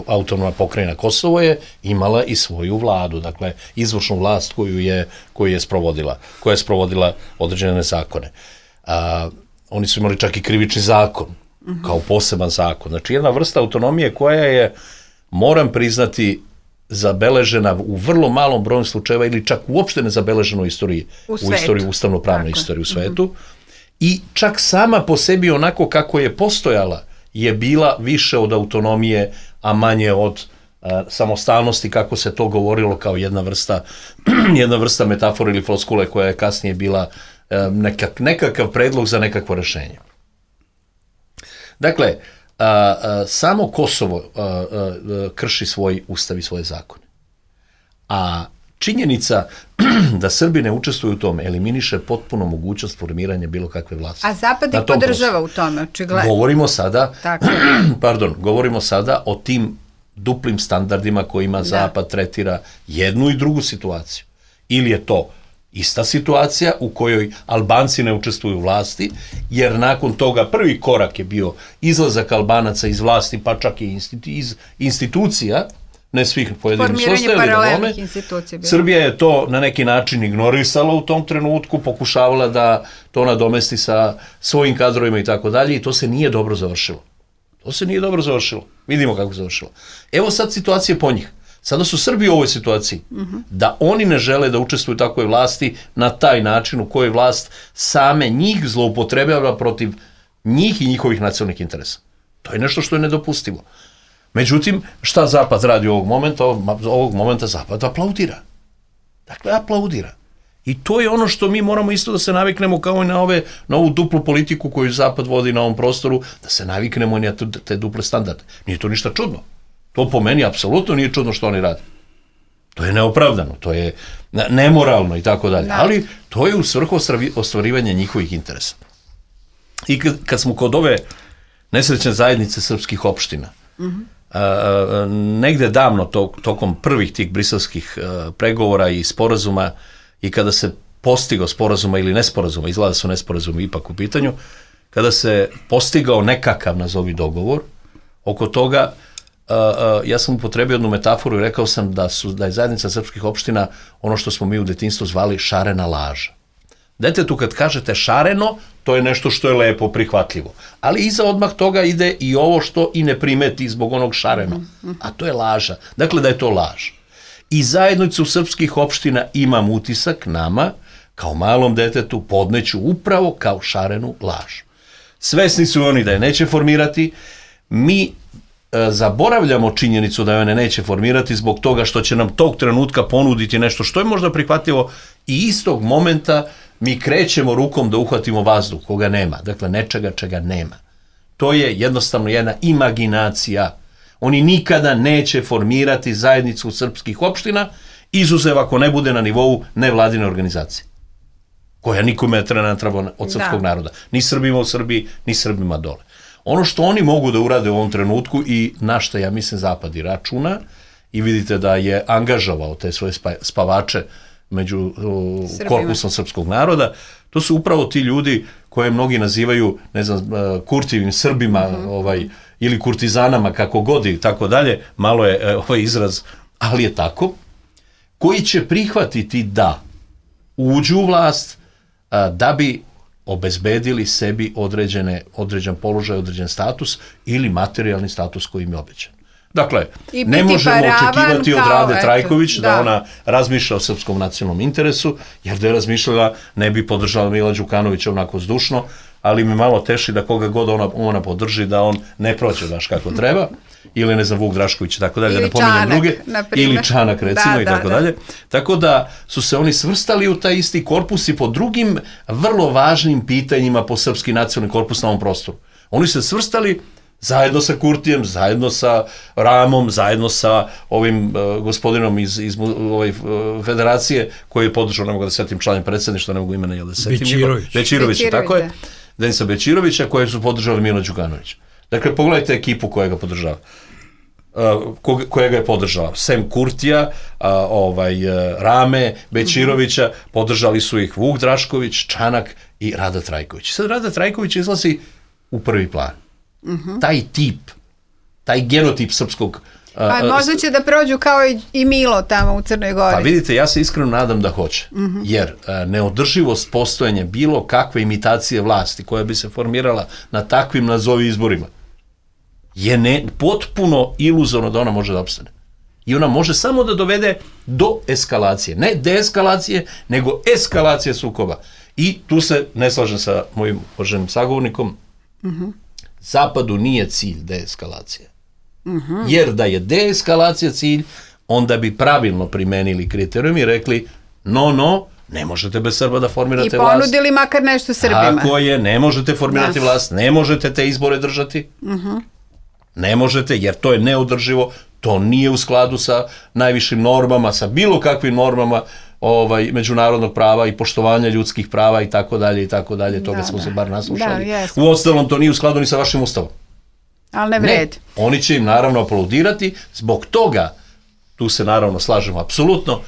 autonomna pokrajina Kosovo je imala i svoju vladu, dakle izvršnu vlast koju je, koju je sprovodila, koja je sprovodila određene zakone. A, oni su imali čak i krivični zakon, uh-huh. kao poseban zakon. Znači jedna vrsta autonomije koja je, moram priznati, zabeležena u vrlo malom broju slučajeva ili čak uopšte ne zabeležena u istoriji, u, u istoriji, ustavno-pravnoj istoriji u svetu. Mm-hmm. I čak sama po sebi onako kako je postojala je bila više od autonomije, a manje od uh, samostalnosti, kako se to govorilo kao jedna vrsta, jedna vrsta metafora ili floskule koja je kasnije bila uh, nekak, nekakav predlog za nekakvo rešenje. Dakle, A, a, samo Kosovo a, a, krši svoj ustav i svoje zakone. A činjenica da Srbi ne učestvuju u tome eliminiše potpuno mogućnost formiranja bilo kakve vlasti. A Zapad ih podržava u tome, očigledno. Govorimo sada, pardon, govorimo sada o tim duplim standardima kojima da. Zapad tretira jednu i drugu situaciju. Ili je to ista situacija u kojoj Albanci ne učestvuju u vlasti, jer nakon toga prvi korak je bio izlazak Albanaca iz vlasti, pa čak i iz institucija, ne svih pojedinih su ostajali na tome. Srbija je to na neki način ignorisala u tom trenutku, pokušavala da to nadomesti sa svojim kadrovima i tako dalje, i to se nije dobro završilo. To se nije dobro završilo. Vidimo kako se završilo. Evo sad situacije po njih. Sada su Srbi u ovoj situaciji, uh-huh. da oni ne žele da učestvuju u takvoj vlasti na taj način u kojoj vlast same njih zloupotrebljava protiv njih i njihovih nacionalnih interesa. To je nešto što je nedopustivo. Međutim, šta Zapad radi ovog momenta? Ovog momenta Zapad aplaudira. Dakle, aplaudira. I to je ono što mi moramo isto da se naviknemo kao i na, ove, na ovu duplu politiku koju Zapad vodi na ovom prostoru, da se naviknemo na te duple standarde. Nije to ništa čudno. To po meni apsolutno nije čudno što oni rade. To je neopravdano, to je nemoralno i tako dalje. Ali to je u svrhu ostvarivanja njihovih interesa. I kad, kad smo kod ove nesrećne zajednice srpskih opština, mm-hmm. a, negde davno to, tokom prvih tih briselskih a, pregovora i sporazuma, i kada se postigao sporazuma ili nesporazuma, izgleda su nesporazumi ipak u pitanju, kada se postigao nekakav, nazovi, dogovor oko toga, Uh, uh, ja sam upotrebio jednu metaforu i rekao sam da, su, da je zajednica srpskih opština ono što smo mi u detinjstvu zvali šarena laža. Detetu kad kažete šareno, to je nešto što je lepo, prihvatljivo. Ali iza odmah toga ide i ovo što i ne primeti zbog onog šareno. A to je laža. Dakle, da je to laž. I zajednicu srpskih opština imam utisak nama, kao malom detetu, podneću upravo kao šarenu laž. Svesni su oni da je neće formirati. Mi zaboravljamo činjenicu da je one neće formirati zbog toga što će nam tog trenutka ponuditi nešto što je možda prihvatljivo, i istog momenta mi krećemo rukom da uhvatimo vazduh koga nema, dakle nečega čega nema. To je jednostavno jedna imaginacija. Oni nikada neće formirati zajednicu srpskih opština, izuzev ako ne bude na nivou nevladine organizacije, koja nikome ne treba od srpskog da. naroda. Ni Srbima u Srbiji, ni Srbima dole. Ono što oni mogu da urade u ovom trenutku i na što, ja mislim, Zapad i računa, i vidite da je angažovao te svoje spavače među korpusom srpskog naroda, to su upravo ti ljudi koje mnogi nazivaju, ne znam, kurtivim Srbima, mm-hmm. ovaj, ili kurtizanama, kako god i tako dalje, malo je ovaj izraz, ali je tako, koji će prihvatiti da uđu u vlast a, da bi obezbedili sebi određene, određen položaj, određen status ili materijalni status koji im je obećan. Dakle, ne možemo očekivati od Rade Trajković da. da ona razmišlja o srpskom nacionalnom interesu, jer da je razmišljala ne bi podržala Mila Đukanovića onako zdušno, ali mi malo teši da koga god ona, ona podrži, da on ne proće baš kako treba, ili ne znam, Vuk Drašković i tako dalje, da ne pominjem druge, ili Čanak recimo da, i tako da, dalje. Da. Tako da su se oni svrstali u taj isti korpus i po drugim vrlo važnim pitanjima po srpski nacionalni korpus na ovom prostoru. Oni se svrstali zajedno sa Kurtijem, zajedno sa Ramom, zajedno sa ovim uh, gospodinom iz, iz ove uh, federacije koji je podržao, ne mogu da setim članom predsjedništva, ne mogu imena jel da setim. Bečirović. Bečirović, tako je. Denisa Bečirovića, koje su podržali Milo Đukanović. Dakle, pogledajte ekipu koja ga podržava. Uh, koja ga je podržala. Sem Kurtija, uh, ovaj, uh, Rame, Bečirovića, mm-hmm. podržali su ih Vuk Drašković, Čanak i Rada Trajković. Sad Rada Trajković izlazi u prvi plan. Mm-hmm. Taj tip, taj genotip srpskog... Pa uh, možda će da prođu kao i, i Milo tamo u Crnoj Gori. Pa vidite, ja se iskreno nadam da hoće, mm-hmm. jer uh, neodrživost postojanja bilo kakve imitacije vlasti koja bi se formirala na takvim nazovi izborima je ne, potpuno iluzorno da ona može da opstane. I ona može samo da dovede do eskalacije. Ne deeskalacije, nego eskalacije sukoba. I tu se ne slažem sa mojim uvaženim sagovornikom. Mm-hmm. Zapadu nije cilj deeskalacija. Mm-hmm. Jer da je deeskalacija cilj, onda bi pravilno primenili kriterijum i rekli no, no, ne možete bez Srba da formirate vlast. I ponudili vlast. Makar nešto Srbima. Tako je, ne možete formirati da. vlast, ne možete te izbore držati. Mm-hmm. Ne možete, jer to je neodrživo, to nije u skladu sa najvišim normama, sa bilo kakvim normama ovaj, međunarodnog prava i poštovanja ljudskih prava i tako dalje i tako dalje, toga da, smo da. se bar naslušali. Da, u ostalom, to nije u skladu ni sa vašim ustavom. Ali ne vredi. Ne, oni će im naravno aplaudirati, zbog toga, tu se naravno slažemo apsolutno,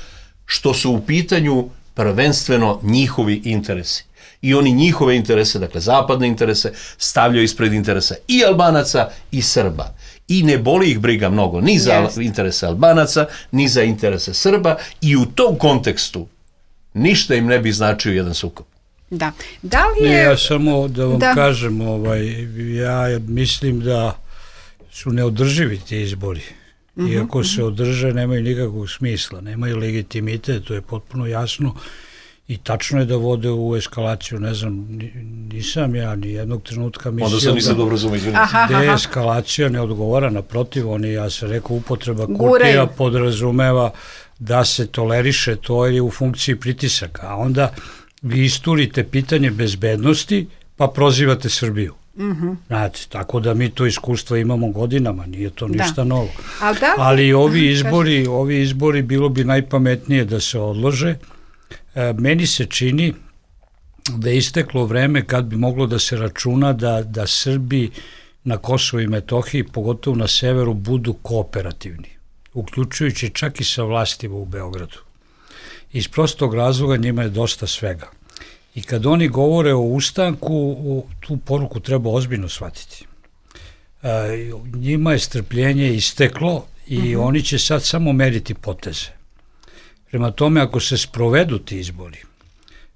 što su u pitanju prvenstveno njihovi interesi. I oni njihove interese, dakle zapadne interese, stavljaju ispred interesa i Albanaca i Srba. I ne boli ih briga mnogo ni za yes. interese Albanaca, ni za interese Srba i u tom kontekstu ništa im ne bi značio jedan sukob. Da. Da li je... Ne, ja samo da vam da. kažem, ovaj, ja mislim da su neodrživi ti izbori. Mm-hmm. Iako se održe, nemaju nikakvog smisla, nemaju legitimitet, to je potpuno jasno. I tačno je da vode u eskalaciju, ne znam, nisam ja ni jednog trenutka mislio Onda sam nisam dobro razumio, da deeskalacija ne odgovara, naprotiv, oni, ja sam rekao, upotreba Kurtija podrazumeva da se toleriše to je u funkciji pritisaka, a onda vi isturite pitanje bezbednosti pa prozivate Srbiju. Mm-hmm. Znači, tako da mi to iskustvo imamo godinama, nije to ništa da. novo. Ali, da, Ali ovi izbori, ovi izbori bilo bi najpametnije da se odlože. Meni se čini da je isteklo vreme kad bi moglo da se računa da, da Srbi na Kosovu i Metohiji, pogotovo na severu, budu kooperativni, uključujući čak i sa vlastima u Beogradu. Iz prostog razloga njima je dosta svega. I kad oni govore o ustanku, tu poruku treba ozbiljno shvatiti. E, njima je strpljenje isteklo i mm-hmm. oni će sad samo meriti poteze. Prema tome, ako se sprovedu ti izbori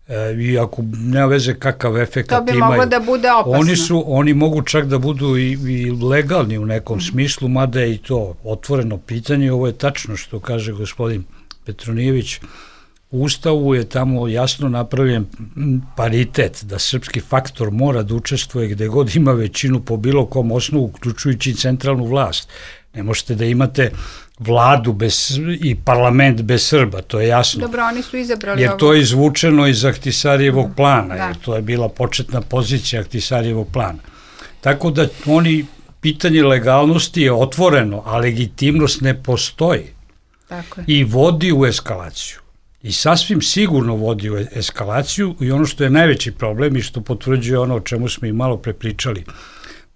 e, i ako nema veze kakav efekt imaju, to bi moglo da bude opasno. Oni, su, oni mogu čak da budu i, i legalni u nekom mm. smislu, mada je i to otvoreno pitanje. Ovo je tačno što kaže gospodin Petronijević. U Ustavu je tamo jasno napravljen paritet, da srpski faktor mora da učestvuje gde god ima većinu po bilo kom osnovu, uključujući centralnu vlast. Ne možete da imate vladu bez, i parlament bez Srba, to je jasno. Dobro, oni su izabrali jer ovo. to je izvučeno iz Ahtisarijevog plana, da. jer to je bila početna pozicija Ahtisarijevog plana. Tako da oni pitanje legalnosti je otvoreno, a legitimnost ne postoji. Tako je. I vodi u eskalaciju. I sasvim sigurno vodi u eskalaciju i ono što je najveći problem i što potvrđuje ono o čemu smo i malo prepričali.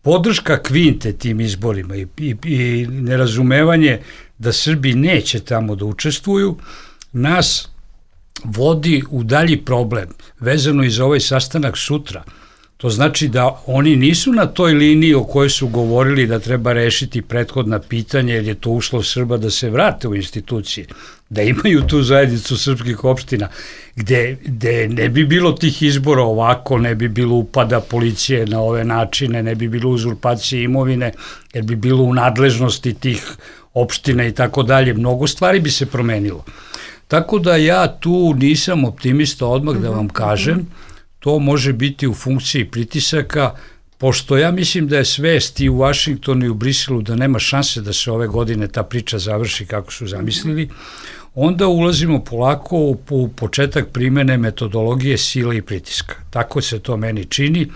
Podrška Kvinte tim izborima i, i, i nerazumevanje da Srbi neće tamo da učestvuju nas vodi u dalji problem vezano i za ovaj sastanak sutra. To znači da oni nisu na toj liniji o kojoj su govorili da treba rešiti prethodna pitanja jer je to uslov Srba da se vrate u institucije, da imaju tu zajednicu srpskih opština gde, gde ne bi bilo tih izbora ovako, ne bi bilo upada policije na ove načine, ne bi bilo uzurpacije imovine, jer bi bilo u nadležnosti tih opština i tako dalje. Mnogo stvari bi se promenilo. Tako da ja tu nisam optimista odmah da vam kažem, to može biti u funkciji pritisaka, pošto ja mislim da je svest i u Vašingtonu i u Briselu da nema šanse da se ove godine ta priča završi kako su zamislili, onda ulazimo polako u, u početak primene metodologije sile i pritiska. Tako se to meni čini,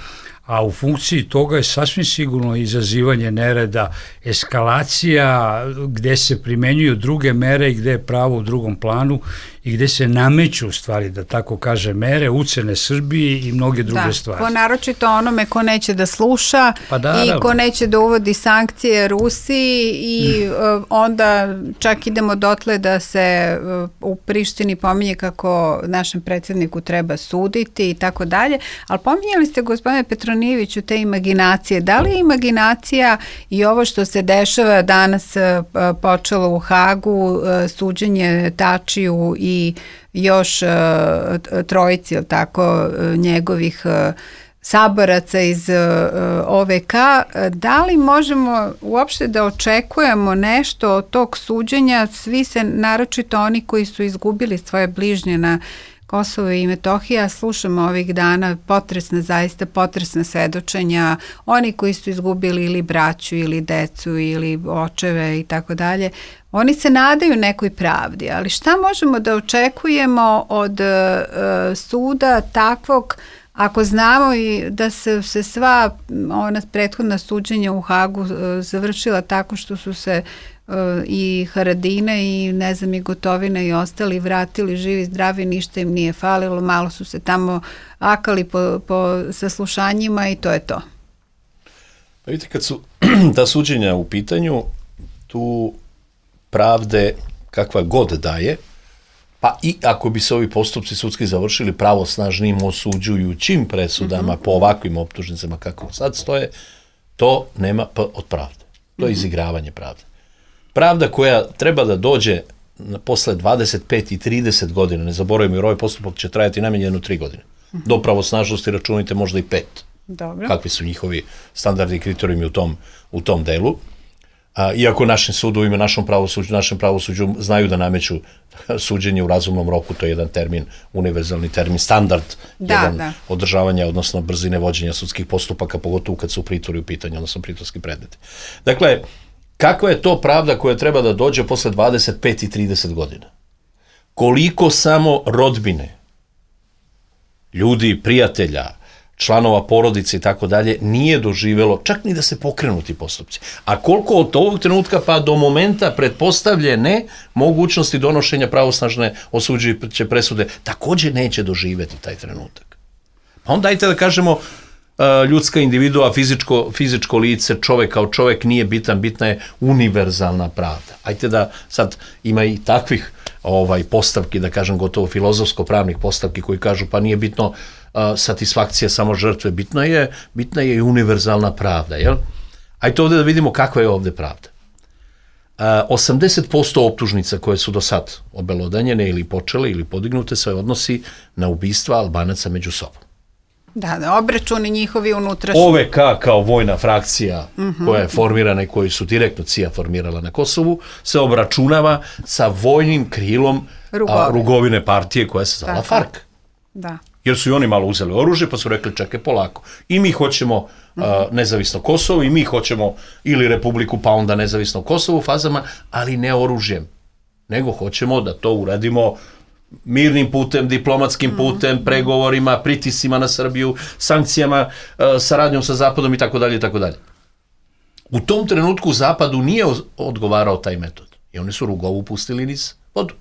a u funkciji toga je sasvim sigurno izazivanje nereda, eskalacija gde se primenjuju druge mere i gde je pravo u drugom planu i gde se nameću stvari, da tako kaže, mere, ucene Srbiji i mnoge druge da, stvari. Po naročito onome ko neće da sluša pa da, i ko neće da uvodi sankcije Rusiji i mm. onda čak idemo dotle da se u Prištini pominje kako našem predsjedniku treba suditi i tako dalje, ali pominjali ste, gospodine Petronijeviću, te imaginacije. Da li je imaginacija i ovo što se dešava danas počelo u Hagu, suđenje Tačiju i i još uh, trojici, ili tako, njegovih uh, saboraca iz uh, O V K, da li možemo uopšte da očekujemo nešto od tog suđenja? Svi se, naročito oni koji su izgubili svoje bližnje na Kosovo i Metohija, slušamo ovih dana potresna, zaista potresna svedočenja, oni koji su izgubili ili braću ili decu ili očeve i tako dalje, oni se nadaju nekoj pravdi, ali šta možemo da očekujemo od uh, suda takvog, ako znamo i da se, se sva ona prethodna suđenja u Hagu uh, završila tako što su se uh, i Haradina i ne znam i Gotovina i ostali vratili živi, zdravi, ništa im nije falilo, malo su se tamo akali po, po saslušanjima i to je to. Pa vidite, kad su ta suđenja u pitanju, tu pravde kakva god daje, pa i ako bi se ovi postupci sudski završili pravosnažnim osuđujućim presudama mm-hmm. po ovakvim optužnicama kako sad stoje, to nema p od pravde. To je izigravanje pravde. Pravda koja treba da dođe posle dvadeset pet i trideset godina, ne zaboravimo jer ovaj postupak će trajati najmanje jedno tri godine. Mm-hmm. Do pravosnažnosti računajte možda i pet. Dobro. Kakvi su njihovi standardi i kriterijumi u tom, u tom delu. A, iako našim sudovima, našom pravosuđu, našem pravosuđu znaju da nameću suđenje u razumnom roku, to je jedan termin, univerzalni termin, standard da, jedan da. održavanja, odnosno brzine vođenja sudskih postupaka, pogotovo kad su pritvori u pitanju, odnosno pritvorski predmeti. Dakle, kakva je to pravda koja treba da dođe posle dvadeset pet i trideset godina? Koliko samo rodbine, ljudi, prijatelja, članova porodice i tako dalje, nije doživelo čak ni da se pokrenu ti postupci. A koliko od ovog trenutka pa do momenta pretpostavljene mogućnosti donošenja pravosnažne osuđujuće presude takođe neće doživeti taj trenutak. Pa onda dajte da kažemo ljudska individua, fizičko, fizičko lice, čovek kao čovek nije bitan, bitna je univerzalna pravda. Ajte da sad ima i takvih ovaj postavki, da kažem gotovo filozofsko-pravnih postavki koji kažu pa nije bitno satisfakcija samo žrtve, bitna je, bitna je i univerzalna pravda, jel? Ajde ovde da vidimo kakva je ovde pravda. osamdeset posto optužnica koje su do sad obelodanjene ili počele ili podignute se odnosi na ubistva Albanaca među sobom. Da, da, obračuni njihovi unutrašnji. O V K kao vojna frakcija mm-hmm. koja je formirana i koju su direktno C I A formirala na Kosovu, se obračunava sa vojnim krilom a, Rugovine partije koja se zvala FARC. Da. Jer su i oni malo uzeli oružje pa su rekli čekaj polako. I mi hoćemo mm-hmm. a, nezavisno Kosovo i mi hoćemo ili Republiku pa onda nezavisno Kosovo u fazama, ali ne oružjem. Nego hoćemo da to uradimo mirnim putem, diplomatskim putem, pregovorima, pritiscima na Srbiju, sankcijama, saradnjom sa Zapadom i tako dalje i tako dalje. U tom trenutku Zapadu nije odgovarao taj metod. I oni su Rugovu pustili niz vodu.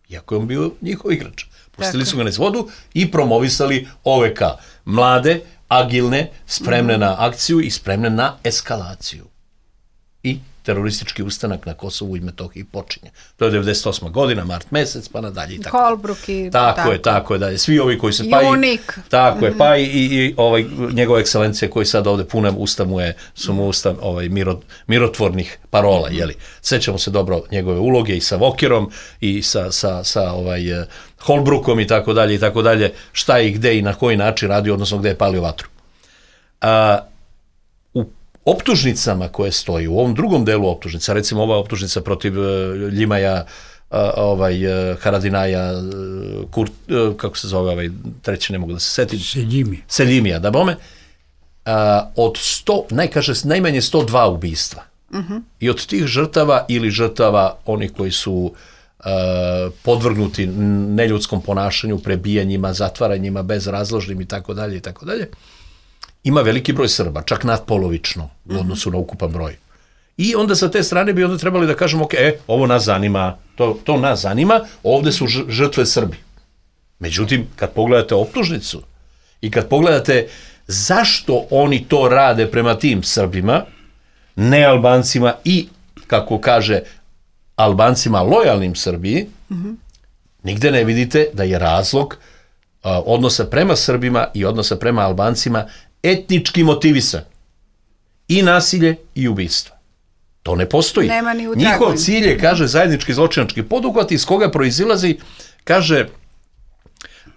Iako je on bio njihov igrač. Pustili su ga niz vodu i promovisali O V K. Mlade, agilne, spremne na akciju i spremne na eskalaciju. I teroristički ustanak na Kosovu i Metohiji počinje. To je devedeset osma godina, mart mesec, pa nadalje i tako. Holbrook i tako. Tako je, tako je, dalje. Svi ovi koji se pa i... Tako je, pa i, i ovaj, njegova ekscelencija koji sad ovde punem usta mu je, su mu usta ovaj, miro, mirotvornih parola, jeli. Sećamo se dobro njegove uloge i sa Vokerom i sa, sa, sa ovaj, Holbrookom i tako dalje i tako dalje, šta je i gde i na koji način radio, odnosno gde je palio vatru. A, optužnicama koje stoji, u ovom drugom delu optužnica, recimo ova optužnica protiv uh, Ljimaja, uh, ovaj, uh, Haradinaja, uh, Kurt, uh, kako se zove ovaj treći, ne mogu da se setim. Seljimi. Seljimija, da bome. Uh, od sto, najkaže, najmanje sto dva ubistva. Uh-huh. I od tih žrtava ili žrtava onih koji su uh, podvrgnuti neljudskom ponašanju, prebijanjima, zatvaranjima, bezrazložnim i tako dalje i tako dalje, ima veliki broj Srba, čak nadpolovično u odnosu na ukupan broj. I onda sa te strane bi onda trebali da kažemo, ok, e, ovo nas zanima, to, to nas zanima, ovde su žrtve Srbi. Međutim, kad pogledate optužnicu i kad pogledate zašto oni to rade prema tim Srbima, ne Albancima i, kako kaže, Albancima lojalnim Srbiji, mm-hmm. nigde ne vidite da je razlog a, odnosa prema Srbima i odnosa prema Albancima etnički motivisan. I nasilje i ubistva. To ne postoji. Nema ni u Njihov cilj je, kaže, zajednički zločinački poduhvat iz koga proizilazi, kaže,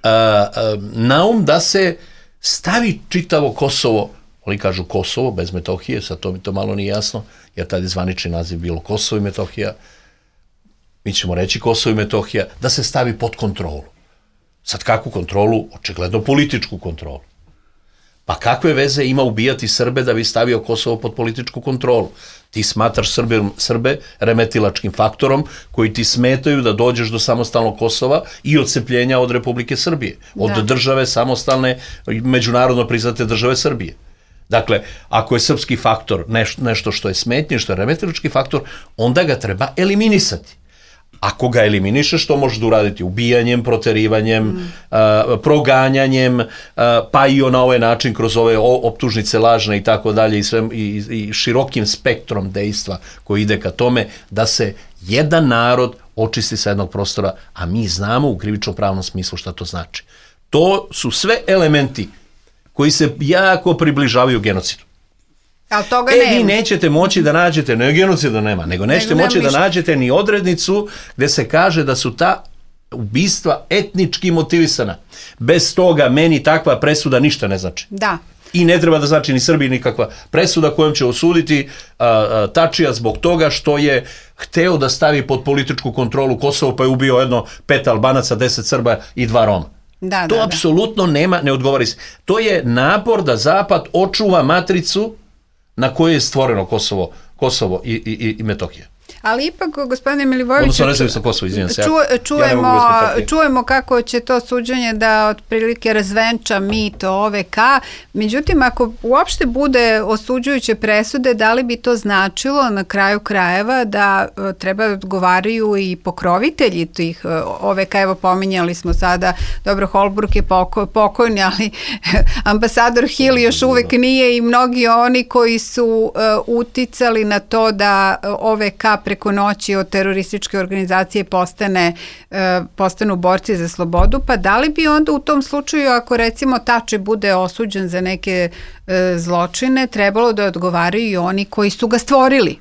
a, a, naum da se stavi čitavo Kosovo, oni kažu Kosovo, bez Metohije, sad to mi to malo nije jasno, jer tad je zvanični naziv bilo Kosovo i Metohija, mi ćemo reći Kosovo i Metohija, da se stavi pod kontrolu. Sad kakvu kontrolu? Očigledno političku kontrolu. Pa kakve veze ima ubijati Srbe da bi stavio Kosovo pod političku kontrolu? Ti smatraš Srbe, Srbe remetilačkim faktorom koji ti smetaju da dođeš do samostalnog Kosova i odcepljenja od Republike Srbije, od da. države samostalne, međunarodno priznate države Srbije. Dakle, ako je srpski faktor nešto, nešto što je smetnje, što je remetilački faktor, onda ga treba eliminisati. Ako ga eliminišeš, što možeš da uraditi? Ubijanjem, proterivanjem, mm. uh, proganjanjem, uh, pa i na ovaj način kroz ove optužnice lažne i tako dalje i, sve, i, i širokim spektrom dejstva koji ide ka tome da se jedan narod očisti sa jednog prostora, a mi znamo u krivično-pravnom smislu šta to znači. To su sve elementi koji se jako približavaju genocidu. Ali toga e, nema. vi nećete moći da nađete, ne genocida nema, nego nećete nego moći da nađete ni odrednicu gde se kaže da su ta ubistva etnički motivisana. Bez toga meni takva presuda ništa ne znači. Da. I ne treba da znači ni Srbiji nikakva presuda kojom će osuditi a, a, Tačija zbog toga što je hteo da stavi pod političku kontrolu Kosovo, pa je ubio jedno pet Albanaca, deset Srba i dva Roma. Da, to da, apsolutno da. nema, ne odgovori se. To je napor da Zapad očuva matricu na kojoj je stvoreno Kosovo, Kosovo i, i, i Metohija. Ali ipak, gospodine Milivojeviću, odnosno nezavisno Kosovo, izvinjam se. Ču, čujemo, ja čujemo kako će to suđenje da otprilike razvenča mit O V K. Međutim, ako uopšte bude osuđujuće presude, da li bi to značilo na kraju krajeva da treba odgovaraju i pokrovitelji tih O V K? Evo, pominjali smo sada, dobro, Holbrook je poko, pokojni, ali ambasador Hill još uvek nije i mnogi oni koji su uh, uticali na to da O V K preko noći od terorističke organizacije postane, e, postanu borci za slobodu, pa da li bi onda u tom slučaju, ako recimo Tači bude osuđen za neke e, zločine, trebalo da odgovaraju i oni koji su ga stvorili?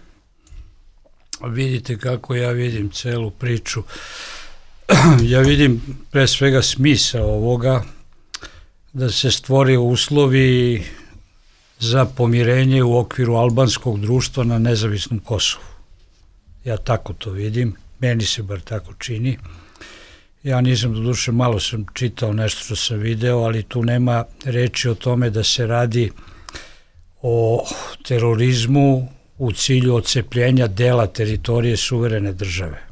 Vidite kako ja vidim celu priču. Ja vidim pre svega smisao ovoga da se stvore uslovi za pomirenje u okviru albanskog društva na nezavisnom Kosovu. Ja tako to vidim, meni se bar tako čini. Ja nisam, do duše, malo sam čitao nešto što sam video, ali tu nema reči o tome da se radi o terorizmu u cilju odcepljenja dela teritorije suverene države.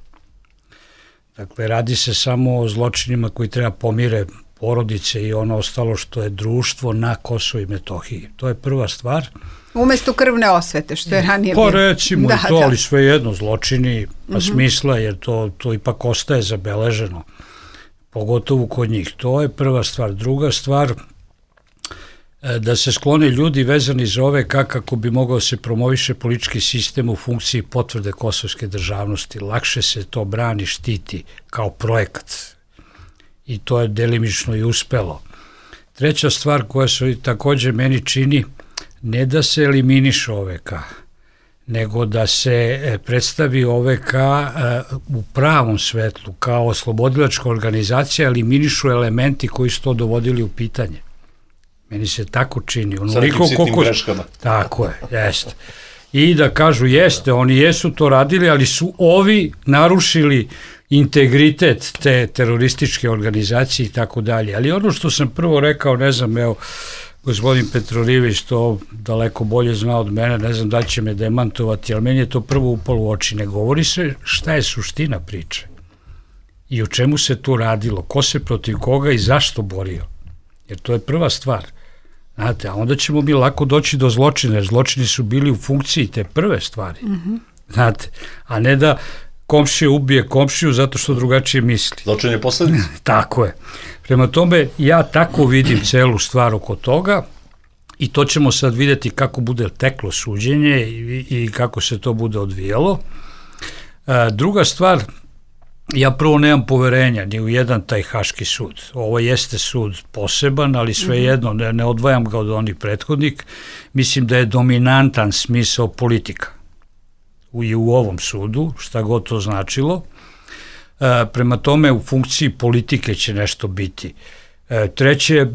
Dakle, radi se samo o zločinima koji treba pomire porodice i ono ostalo što je društvo na Kosovu i Metohiji. To je prva stvar. Umesto krvne osvete, što je ranije bilo. Pa recimo da, i to, da. ali svejedno zločini pa uh-huh. smisla, jer to, to ipak ostaje zabeleženo. Pogotovo kod njih. To je prva stvar. Druga stvar, da se sklone ljudi vezani za O V K kako bi mogao se promoviše politički sistem u funkciji potvrde kosovske državnosti. Lakše se to brani, štiti kao projekat. I to je delimično i uspelo. Treća stvar koja se takođe meni čini, ne da se eliminiše O V K, nego da se predstavi O V K u pravom svetlu, kao oslobodilačka organizacija, eliminišu elementi koji su to dovodili u pitanje. Meni se tako čini. Sa nekim sitnim greškama. Tako je, jeste. I da kažu, jeste, oni jesu to radili, ali su ovi narušili integritet te terorističke organizacije i tako dalje. Ali ono što sam prvo rekao, ne znam, evo, gospodin Petrolijević to daleko bolje zna od mene, ne znam da će me demantovati, ali meni je to prvo upalo u oči. Ne govori se šta je suština priče i o čemu se tu radilo, ko se protiv koga i zašto borio. Jer to je prva stvar. Znate, a onda ćemo mi lako doći do zločina, jer zločini su bili u funkciji te prve stvari. Mm-hmm. Znate, a ne da komšija ubije komšiju zato što drugačije misli. Zločin je posledica. Tako je. Prema tome, ja tako vidim celu stvar oko toga i to ćemo sad vidjeti kako bude teklo suđenje i, i kako se to bude odvijalo. A, druga stvar, ja prvo nemam poverenja ni u jedan taj Haški sud. Ovo jeste sud poseban, ali svejedno ne, ne odvajam ga od onih prethodnik. Mislim da je dominantan smisao politika i u ovom sudu, šta god to značilo. E, prema tome, u funkciji politike će nešto biti. E, treće,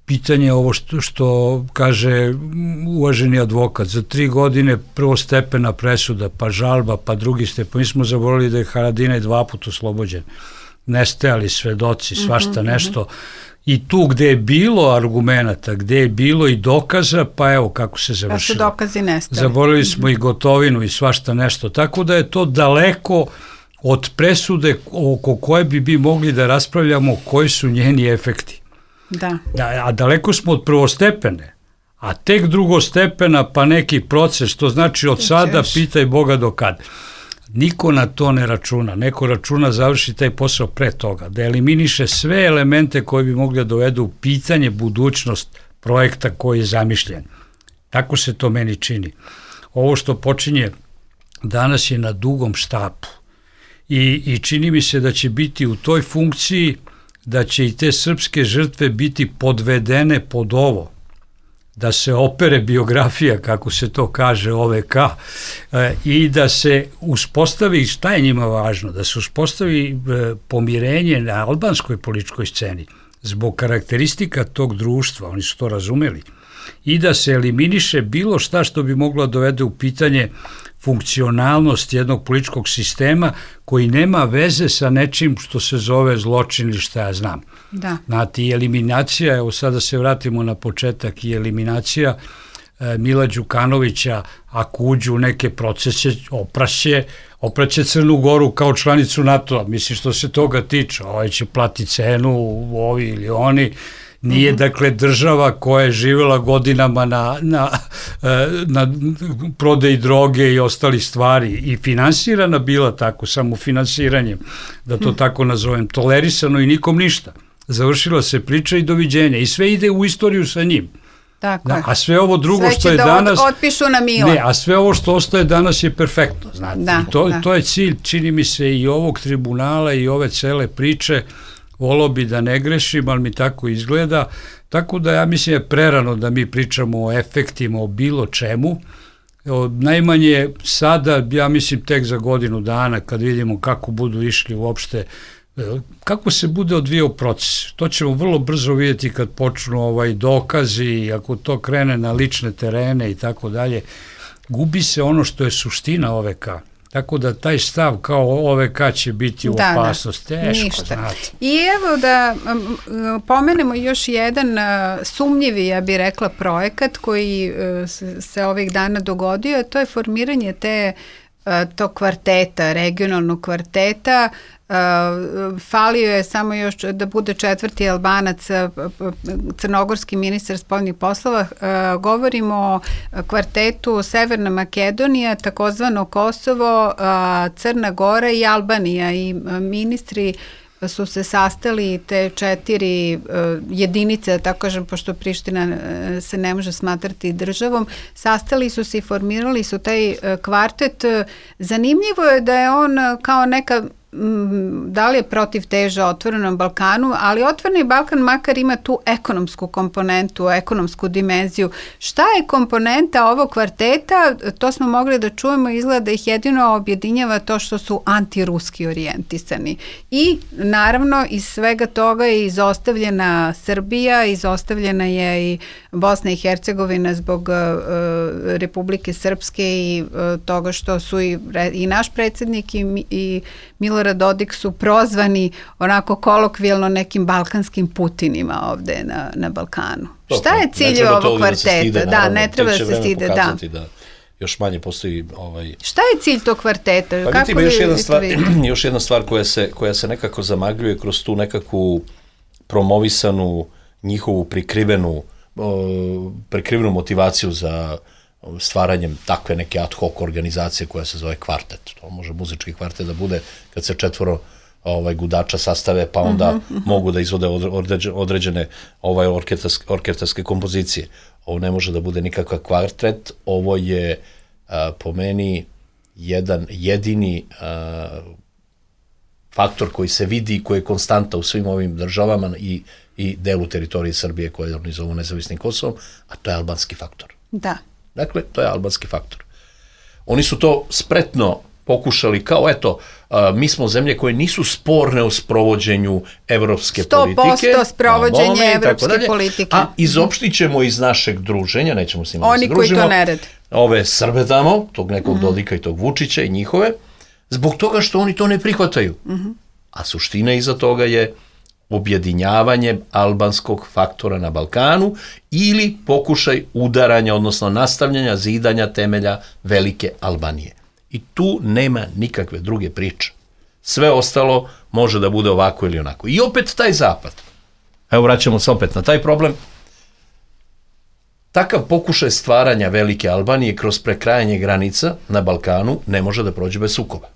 pitanje ovo što, što kaže uvaženi advokat, za tri godine prvostepena presuda, pa žalba, pa drugi stepen. Mi smo zaboravili da je Haradinaj dva puta oslobođen. Nestajali svedoci, svašta nešto. I tu gde je bilo argumenata, gde je bilo i dokaza, pa evo kako se završilo. Pa su dokazi nestali. Zaboravili smo i Gotovinu i svašta nešto. Tako da je to daleko od presude oko koje bi bi mogli da raspravljamo koji su njeni efekti. Da. Da, a daleko smo od prvostepene, a tek drugostepena pa neki proces, to znači od sada pitaj Boga do kad. Niko na to ne računa, neko računa završi taj posao pre toga, da eliminiše sve elemente koji bi mogli da dovedu u pitanje budućnost projekta koji je zamišljen. Tako se to meni čini. Ovo što počinje danas je na dugom štapu i, i čini mi se da će biti u toj funkciji da će i te srpske žrtve biti podvedene pod ovo, da se opere biografija, kako se to kaže, O V K, e, i da se uspostavi, šta je njima važno, da se uspostavi e, pomirenje na albanskoj političkoj sceni, zbog karakteristika tog društva, oni su to razumeli, i da se eliminiše bilo šta što bi moglo dovede u pitanje funkcionalnost jednog političkog sistema koji nema veze sa nečim što se zove zločin ili šta ja znam. Da. Znate, i eliminacija, evo sada se vratimo na početak, i eliminacija e, Mila Đukanovića, ako uđu u neke procese, opraće, opraće Crnu Goru kao članicu NATO-a. Mislim, što se toga tiče, ovaj će plati cenu, ovi ili oni. Nije, dakle, država koja je živjela godinama na, na, na prodaji droge i ostali stvari i finansirana bila tako, samo finansiranjem, da to tako nazovem, tolerisano i nikom ništa. Završila se priča i doviđenja i sve ide u istoriju sa njim. Tako da, a sve ovo drugo sve što je da danas... Od, otpišu na mila. Ne, a sve ovo što ostaje danas je perfektno, znate. Da, I to, da. to je cilj, čini mi se, i ovog tribunala i ove cele priče. Volao bi da ne grešim, ali mi tako izgleda. Tako da ja mislim je prerano da mi pričamo o efektima, o bilo čemu. O, najmanje sada, ja mislim tek za godinu dana, kad vidimo kako budu išli uopšte, kako se bude odvijao proces. To ćemo vrlo brzo vidjeti kad počnu ovaj dokazi, ako to krene na lične terene i tako dalje. Gubi se ono što je suština O V K. Tako da taj stav kao O V K će biti u da, opasnosti. Da, teško, ništa. znate. I evo da um, pomenemo još jedan uh, sumnjivi, ja bih rekla, projekat koji uh, se, se ovih dana dogodio, to je formiranje te uh, tog kvarteta, regionalnog kvarteta. Uh, falio je samo još da bude četvrti Albanac, crnogorski ministar spoljnih poslova. Uh, govorimo o kvartetu Severna Makedonija, takozvano Kosovo, uh, Crna Gora i Albanija, i uh, ministri su se sastali, te četiri uh, jedinice, da tako kažem, pošto Priština uh, se ne može smatrati državom, sastali su se i formirali su taj uh, kvartet. Zanimljivo je da je on uh, kao neka, da li je protiv teža Otvorenom Balkanu, ali Otvoreni Balkan makar ima tu ekonomsku komponentu, ekonomsku dimenziju. Šta je komponenta ovog kvarteta? To smo mogli da čujemo, izgleda da ih jedino objedinjava to što su antiruski orijentisani. I naravno iz svega toga je izostavljena Srbija, izostavljena je i Bosna i Hercegovina zbog uh, Republike Srpske i uh, toga što su i, i naš predsjednik i, i Milorad Dodik su prozvani onako kolokvijalno nekim balkanskim Putinima ovde na, na Balkanu. To, šta je cilj ovog kvarteta? Da, da, ne treba da se stide. Da. da još manje postoji ovaj... Šta je cilj tog kvarteta? Pa vidite, još, jedna stvar, još jedna stvar koja se, koja se nekako zamagljuje kroz tu nekakvu promovisanu njihovu prikrivenu, uh, prikrivenu motivaciju za stvaranjem takve neke ad hoc organizacije koja se zove kvartet. To može muzički kvartet da bude kad se četvoro ovaj, gudača sastave, pa onda uh-huh, uh-huh. mogu da izvode određene, određene ovaj, orketarske, orketarske kompozicije. Ovo ne može da bude nikakav kvartet, ovo je a, po meni jedan jedini a, faktor koji se vidi i koji je konstanta u svim ovim državama i, i delu teritorije Srbije koje oni zovu nezavisnim Kosovom, a to je albanski faktor. Da. Dakle, to je albanski faktor. Oni su to spretno pokušali kao, eto, a, mi smo zemlje koje nisu sporne u sprovođenju evropske politike. sto posto sprovođenje evropske politike. A izopštit ćemo iz našeg druženja, nećemo s njima da se družimo. Oni koji to ne rade. Ove Srbe tamo, tog nekog mm-hmm. Dodika i tog Vučića i njihove, zbog toga što oni to ne prihvataju. Mm-hmm. A suština iza toga je objedinjavanje albanskog faktora na Balkanu ili pokušaj udaranja, odnosno nastavljanja zidanja temelja velike Albanije. I tu nema nikakve druge priče. Sve ostalo može da bude ovako ili onako. I opet taj zapad. Evo vraćamo se opet na taj problem. Takav pokušaj stvaranja velike Albanije kroz prekrajanje granica na Balkanu ne može da prođe bez sukoba.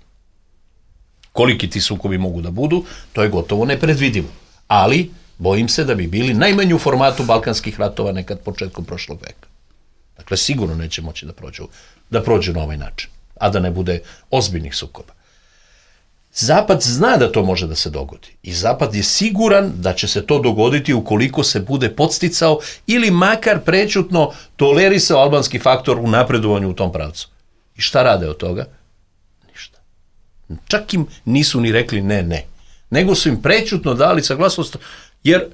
Koliki ti sukobi mogu da budu, to je gotovo nepredvidivo. Ali bojim se da bi bili najmanje u formatu balkanskih ratova nekad početkom prošlog veka. Dakle, sigurno neće moći da prođu, da prođu na ovaj način, a da ne bude ozbiljnih sukoba. Zapad zna da to može da se dogodi i Zapad je siguran da će se to dogoditi ukoliko se bude podsticao ili makar prećutno tolerisao albanski faktor u napredovanju u tom pravcu. I šta rade od toga? Ništa. Čak im nisu ni rekli ne, ne. Nego su im prećutno dali saglasnost, jer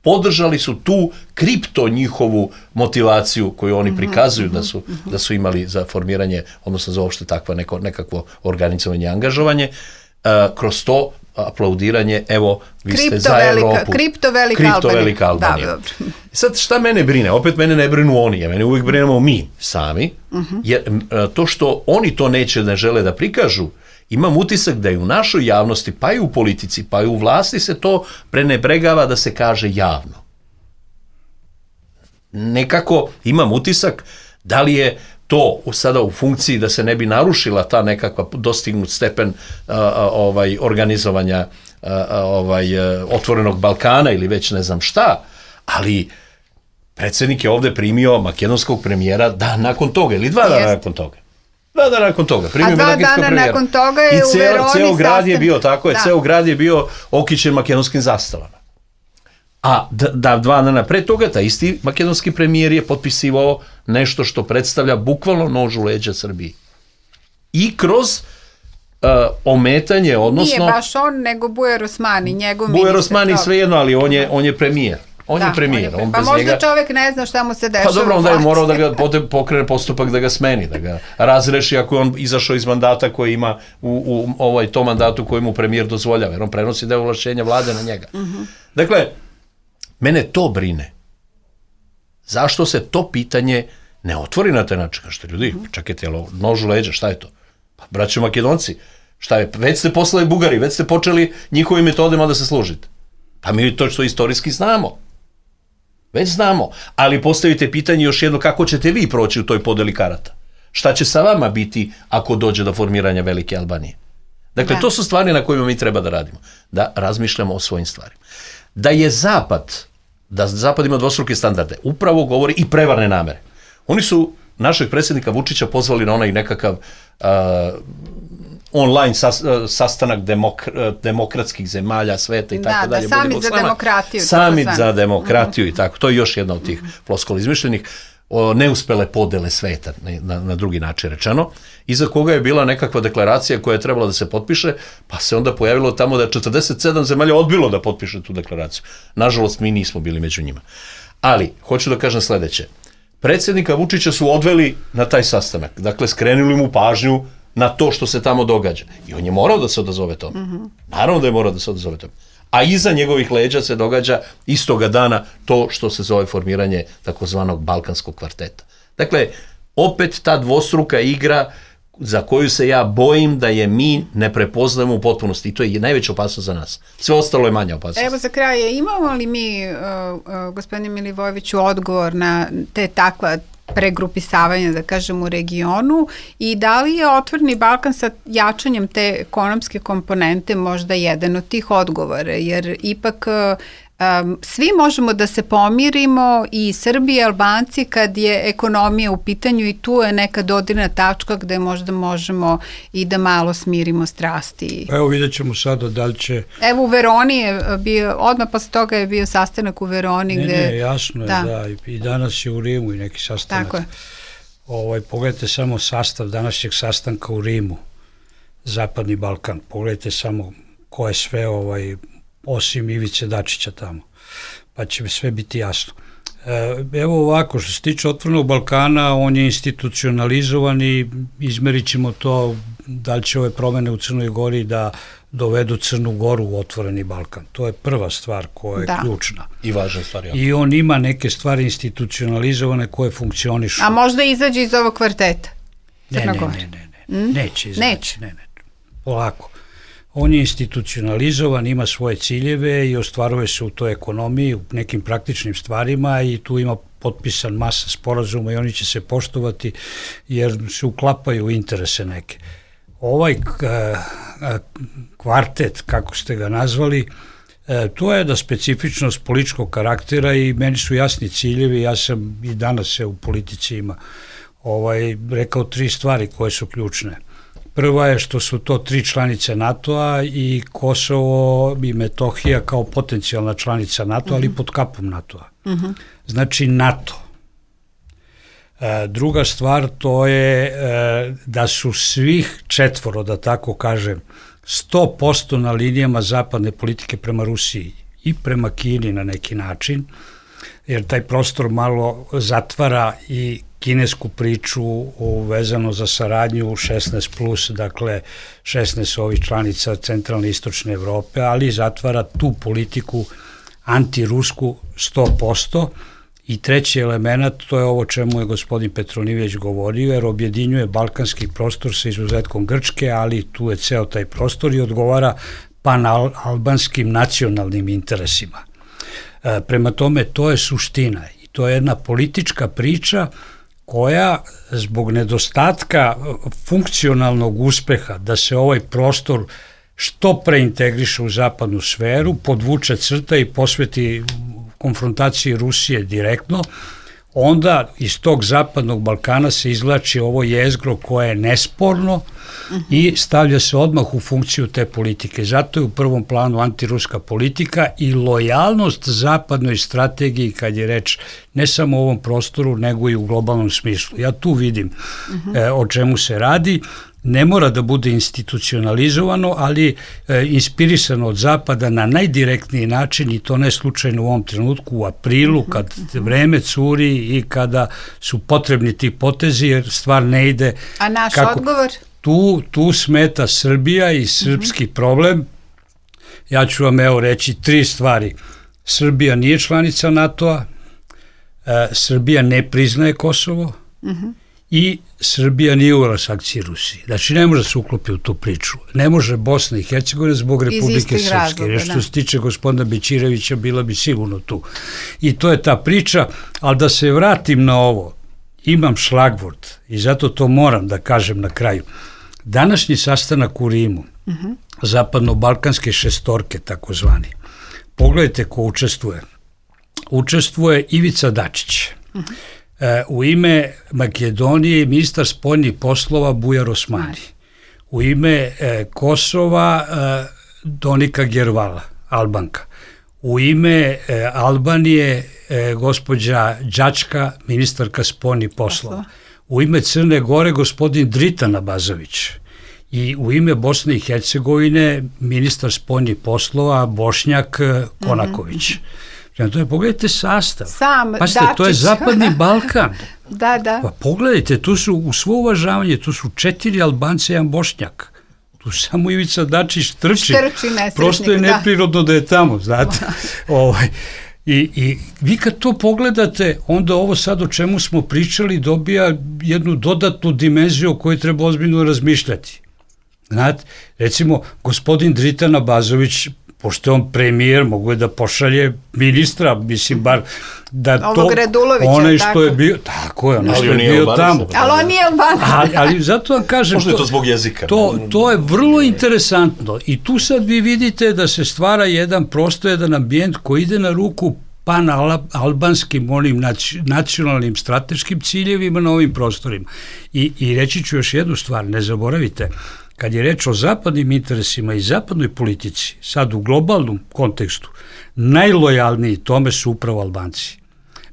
podržali su tu kripto njihovu motivaciju koju oni prikazuju da su, da su imali za formiranje, odnosno za uopšte takvo neko, nekakvo organizovanje i angažovanje, uh, kroz to aplaudiranje, evo, vi kripto ste za velika, Evropu. Kripto velika kripto Albanija. Velika Albanija. Da, sad, šta mene brine? Opet mene ne brinu oni, ja mene uvijek brinemo mi sami, uh-huh. jer uh, to što oni to neće, ne žele da prikažu, imam utisak da i u našoj javnosti, pa i u politici, pa i u vlasti se to prenebregava da se kaže javno. Nekako imam utisak da li je to sada u funkciji da se ne bi narušila ta nekakva dostignut stepen a, a, ovaj, organizovanja a, a, ovaj, a, otvorenog Balkana ili već ne znam šta, ali predsjednik je ovde primio makedonskog premijera dan nakon toga ili dva dana nakon toga. Dva dana nakon toga. A dva dana premijera. Nakon toga je I u Veroni ceo grad sastav... je bio, tako je, da. Ceo grad je bio okićen makedonskim zastavama. A da, da dva dana pre toga, taj isti makedonski premijer je potpisivao nešto što predstavlja bukvalno nož u leđa Srbiji. I kroz uh, ometanje, odnosno... Nije baš on, nego Bujar Osmani, njegov ministar. Bujar Osmani svejedno, ali on je, on je premijer. On da, je premijer. On je pre... on pa možda njega... čovjek ne zna šta mu se dešava. Pa dobro, onda je morao da ga pokrene postupak da ga smeni, da ga razreši ako je on izašao iz mandata koji ima u, u ovaj, tom mandatu koji mu premijer dozvoljava, jer on prenosi deo ovlašćenja vlade na njega. Uh-huh. Dakle, mene to brine. Zašto se to pitanje ne otvori na taj način? Kažete, ljudi, čekajte, jel nož u leđa, šta je to? Pa, braćo Makedonci, šta je, već ste poslali Bugari, već ste počeli njihovim metodima da se služite. Pa mi to što istorijski znamo. Već znamo, ali postavite pitanje još jedno, kako ćete vi proći u toj podeli karata? Šta će sa vama biti ako dođe do formiranja Velike Albanije? Dakle, da. To su stvari na kojima mi treba da radimo, da razmišljamo o svojim stvarima. Da je Zapad, da Zapad ima dvostruke standarde, upravo govori i prevarne namere. Oni su našeg predsjednika Vučića pozvali na onaj nekakav uh, online sas, uh, sastanak demok, uh, demokratskih zemalja sveta i tako da, dalje. Da, samit za demokratiju. Samit za demokratiju mm-hmm. i tako. To je još jedna od tih mm-hmm. floskola izmišljenih. O neuspele podele sveta, na, na drugi način rečeno, iza koga je bila nekakva deklaracija koja je trebala da se potpiše, pa se onda pojavilo tamo da je četrdeset sedam zemalja odbilo da potpiše tu deklaraciju. Nažalost, mi nismo bili među njima. Ali, hoću da kažem sledeće. Predsjednika Vučića su odveli na taj sastanak. Dakle, skrenuli mu pažnju na to što se tamo događa. I on je morao da se odazove tome. Mm-hmm. Naravno da je morao da se odazove tome. A iza njegovih leđa se događa istoga dana to što se zove formiranje takozvanog Balkanskog kvarteta. Dakle, opet ta dvostruka igra za koju se ja bojim da je mi ne prepoznajemo u potpunosti i to je najveća opasnost za nas. Sve ostalo je manja opasnost. Evo za kraj, imamo li mi, uh, uh, gospodine Milivojeviću, odgovor na te takva pregrupisavanja, da kažem, u regionu i da li je Otvoreni Balkan sa jačanjem te ekonomske komponente možda jedan od tih odgovora, jer ipak um, svi možemo da se pomirimo i Srbi i Albanci kad je ekonomija u pitanju i tu je neka dodirna tačka gde možda možemo i da malo smirimo strasti. Evo vidjet ćemo sada da li će... Evo u Veroni je bio, odmah posle toga je bio sastanak u Veroni. Ne, gde... ne, jasno je, da. da. I danas je u Rimu i neki sastanak. Tako je. Ovaj, pogledajte samo sastav današnjeg sastanka u Rimu, Zapadni Balkan. Pogledajte samo ko je sve, ovaj, osim Ivice Dačića tamo, pa će sve biti jasno. Evo ovako, što se tiče Otvorenog Balkana, on je institucionalizovan i izmerit ćemo to da li će ove promene u Crnoj Gori da dovedu Crnu Goru u Otvoreni Balkan. To je prva stvar koja je da. ključna. I važna stvar. Ja. I on ima neke stvari institucionalizovane koje funkcionišu. A možda izađe iz ovog kvarteta? Ne, ne, ne, ne, ne. Mm? Neće izaći. Neće. Ne, ne. Polako. On je institucionalizovan, ima svoje ciljeve i ostvaruje se u toj ekonomiji, u nekim praktičnim stvarima i tu ima potpisan masa sporazuma i oni će se poštovati jer se uklapaju u interese neke. Ovaj kvartet, kako ste ga nazvali, to je da specifičnost političkog karaktera i meni su jasni ciljevi, ja sam i danas se u politici ima ovaj, rekao tri stvari koje su ključne. Prva je što su to tri članice NATO-a i Kosovo i Metohija kao potencijalna članica NATO-a, ali pod kapom NATO-a. Uh-huh. Znači NATO. E, druga stvar to je e, da su svih četvoro, da tako kažem, sto posto na linijama zapadne politike prema Rusiji i prema Kini na neki način, jer taj prostor malo zatvara i kinesku priču vezano za saradnju šesnaest plus, dakle šesnaest ovih članica centralne i istočne Evrope, ali zatvara tu politiku antirusku sto posto. I treći element, to je ovo čemu je gospodin Petronijević govorio, jer objedinjuje balkanski prostor sa izuzetkom Grčke, ali tu je ceo taj prostor i odgovara panalbanskim nacionalnim interesima. E, prema tome, to je suština i to je jedna politička priča koja zbog nedostatka funkcionalnog uspeha da se ovaj prostor što preintegriše u zapadnu sferu, podvuče crta i posveti konfrontaciji Rusije direktno, onda iz tog zapadnog Balkana se izvlači ovo jezgro koje je nesporno uh-huh. i stavlja se odmah u funkciju te politike. Zato je u prvom planu antiruska politika i lojalnost zapadnoj strategiji kad je reč ne samo u ovom prostoru, nego i u globalnom smislu. Ja tu vidim uh-huh. e, o čemu se radi. Ne mora da bude institucionalizovano, ali e, inspirisano od zapada na najdirektniji način i to ne slučajno u ovom trenutku, u aprilu, kad vreme curi i kada su potrebni ti potezi, jer stvar ne ide... A naš kako, odgovor? Tu, tu smeta Srbija i srpski uh-huh. problem. Ja ću vam evo reći tri stvari. Srbija nije članica NATO-a, e, Srbija ne priznaje Kosovo, uh-huh. i Srbija nije uvela sankcije Rusiji. Znači, ne može se uklopi u tu priču. Ne može Bosna i Hercegovina zbog Republike Srpske. Jer što se tiče gospodina Bećirevića, bila bi sigurno tu. I to je ta priča, ali da se vratim na ovo, imam šlagvort i zato to moram da kažem na kraju. Današnji sastanak u Rimu, uh-huh. zapadno-balkanske šestorke, takozvani, pogledajte ko učestvuje. Učestvuje Ivica Dačić. Uh-huh. E, u ime Makedonije ministar spoljnih poslova Bujar Osmani. U ime e, Kosova e, Donika Gervala, Albanka. U ime e, Albanije e, gospođa Đačka, ministarka spoljnih poslova. U ime Crne Gore gospodin Dritan Abazović. I u ime Bosne i Hercegovine ministar spoljnih poslova Bošnjak Konaković. Mm-hmm. To je, pogledajte sastav. Sam Pasite, Dačić. To je Zapadni Balkan. Da, da. Pa pogledajte, tu su u svo uvažavanje, tu su četiri Albanca i jedan Bošnjak. Tu samo Ivica Dačić trči. Štrči nesretnik, prosto je neprirodno da, da je tamo, znate. ovaj, i, I vi kad to pogledate, onda ovo sad o čemu smo pričali dobija jednu dodatnu dimenziju o kojoj treba ozbiljno razmišljati. Znate, recimo, gospodin Dritan Abazović, pošto je on premijer, mogu je da pošalje ministra, mislim, bar da to... Ovog Radulovića, onaj što tako. je bio, tako je, onaj što je bio tamo. Ali on nije Albanac. Ali, ali zato vam kažem... Možda je to zbog jezika. To, to je vrlo interesantno i tu sad vi vidite da se stvara jedan prosto jedan ambijent koji ide na ruku pan-albanskim onim nacionalnim strateškim ciljevima na ovim prostorima. I, i reći ću još jednu stvar, ne zaboravite, kad je reč o zapadnim interesima i zapadnoj politici, sad u globalnom kontekstu, najlojalniji tome su upravo Albanci.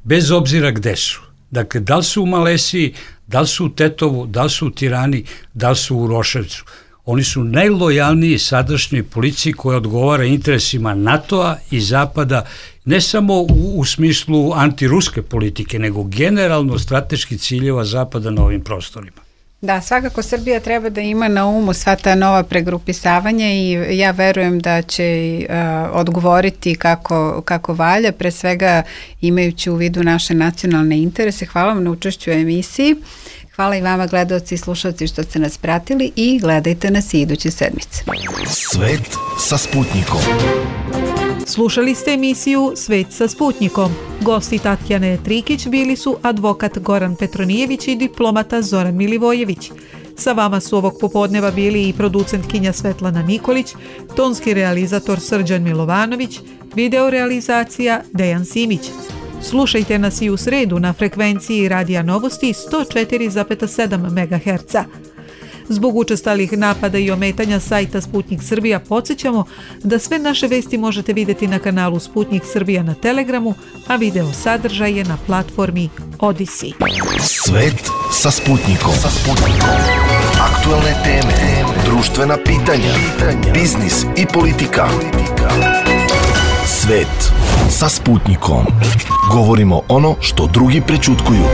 Bez obzira gde su. Dakle, da li su u Malesiji, da li su u Tetovu, da li su u Tirani, da li su u Uroševcu. Oni su najlojalniji sadašnjoj policiji koja odgovara interesima NATO-a i Zapada, ne samo u, u smislu antiruske politike, nego generalno strateških ciljeva Zapada na ovim prostorima. Da, svakako Srbija treba da ima na umu sva ta nova pregrupisavanja i ja verujem da će uh, odgovoriti kako, kako valja, pre svega imajući u vidu naše nacionalne interese. Hvala vam na učešću u emisiji. Hvala i vama gledaoci i slušalci što ste nas pratili i gledajte nas i iduće sedmice. Svet sa Sputnikom. Slušali ste emisiju Svet sa Sputnikom. Gosti Tatjane Trikić bili su advokat Goran Petronijević i diplomata Zoran Milivojević. Sa vama su ovog popodneva bili i producentkinja Svetlana Nikolić, tonski realizator Srđan Milovanović, videorealizacija Dejan Simić. Slušajte nas i u sredu na frekvenciji Radija Novosti sto četiri zarez sedam megaherca. Zbog učestalih napada i ometanja sajta Sputnik Srbija podsjećamo da sve naše vesti možete vidjeti na kanalu Sputnik Srbija na Telegramu, a video sadržaj je na platformi Odisi. Svet sa Sputnikom. Sa Sputnikom. Aktualne teme, društvena pitanja, biznis i politika. Svet sa Sputnikom. Govorimo ono što drugi prećutkuju.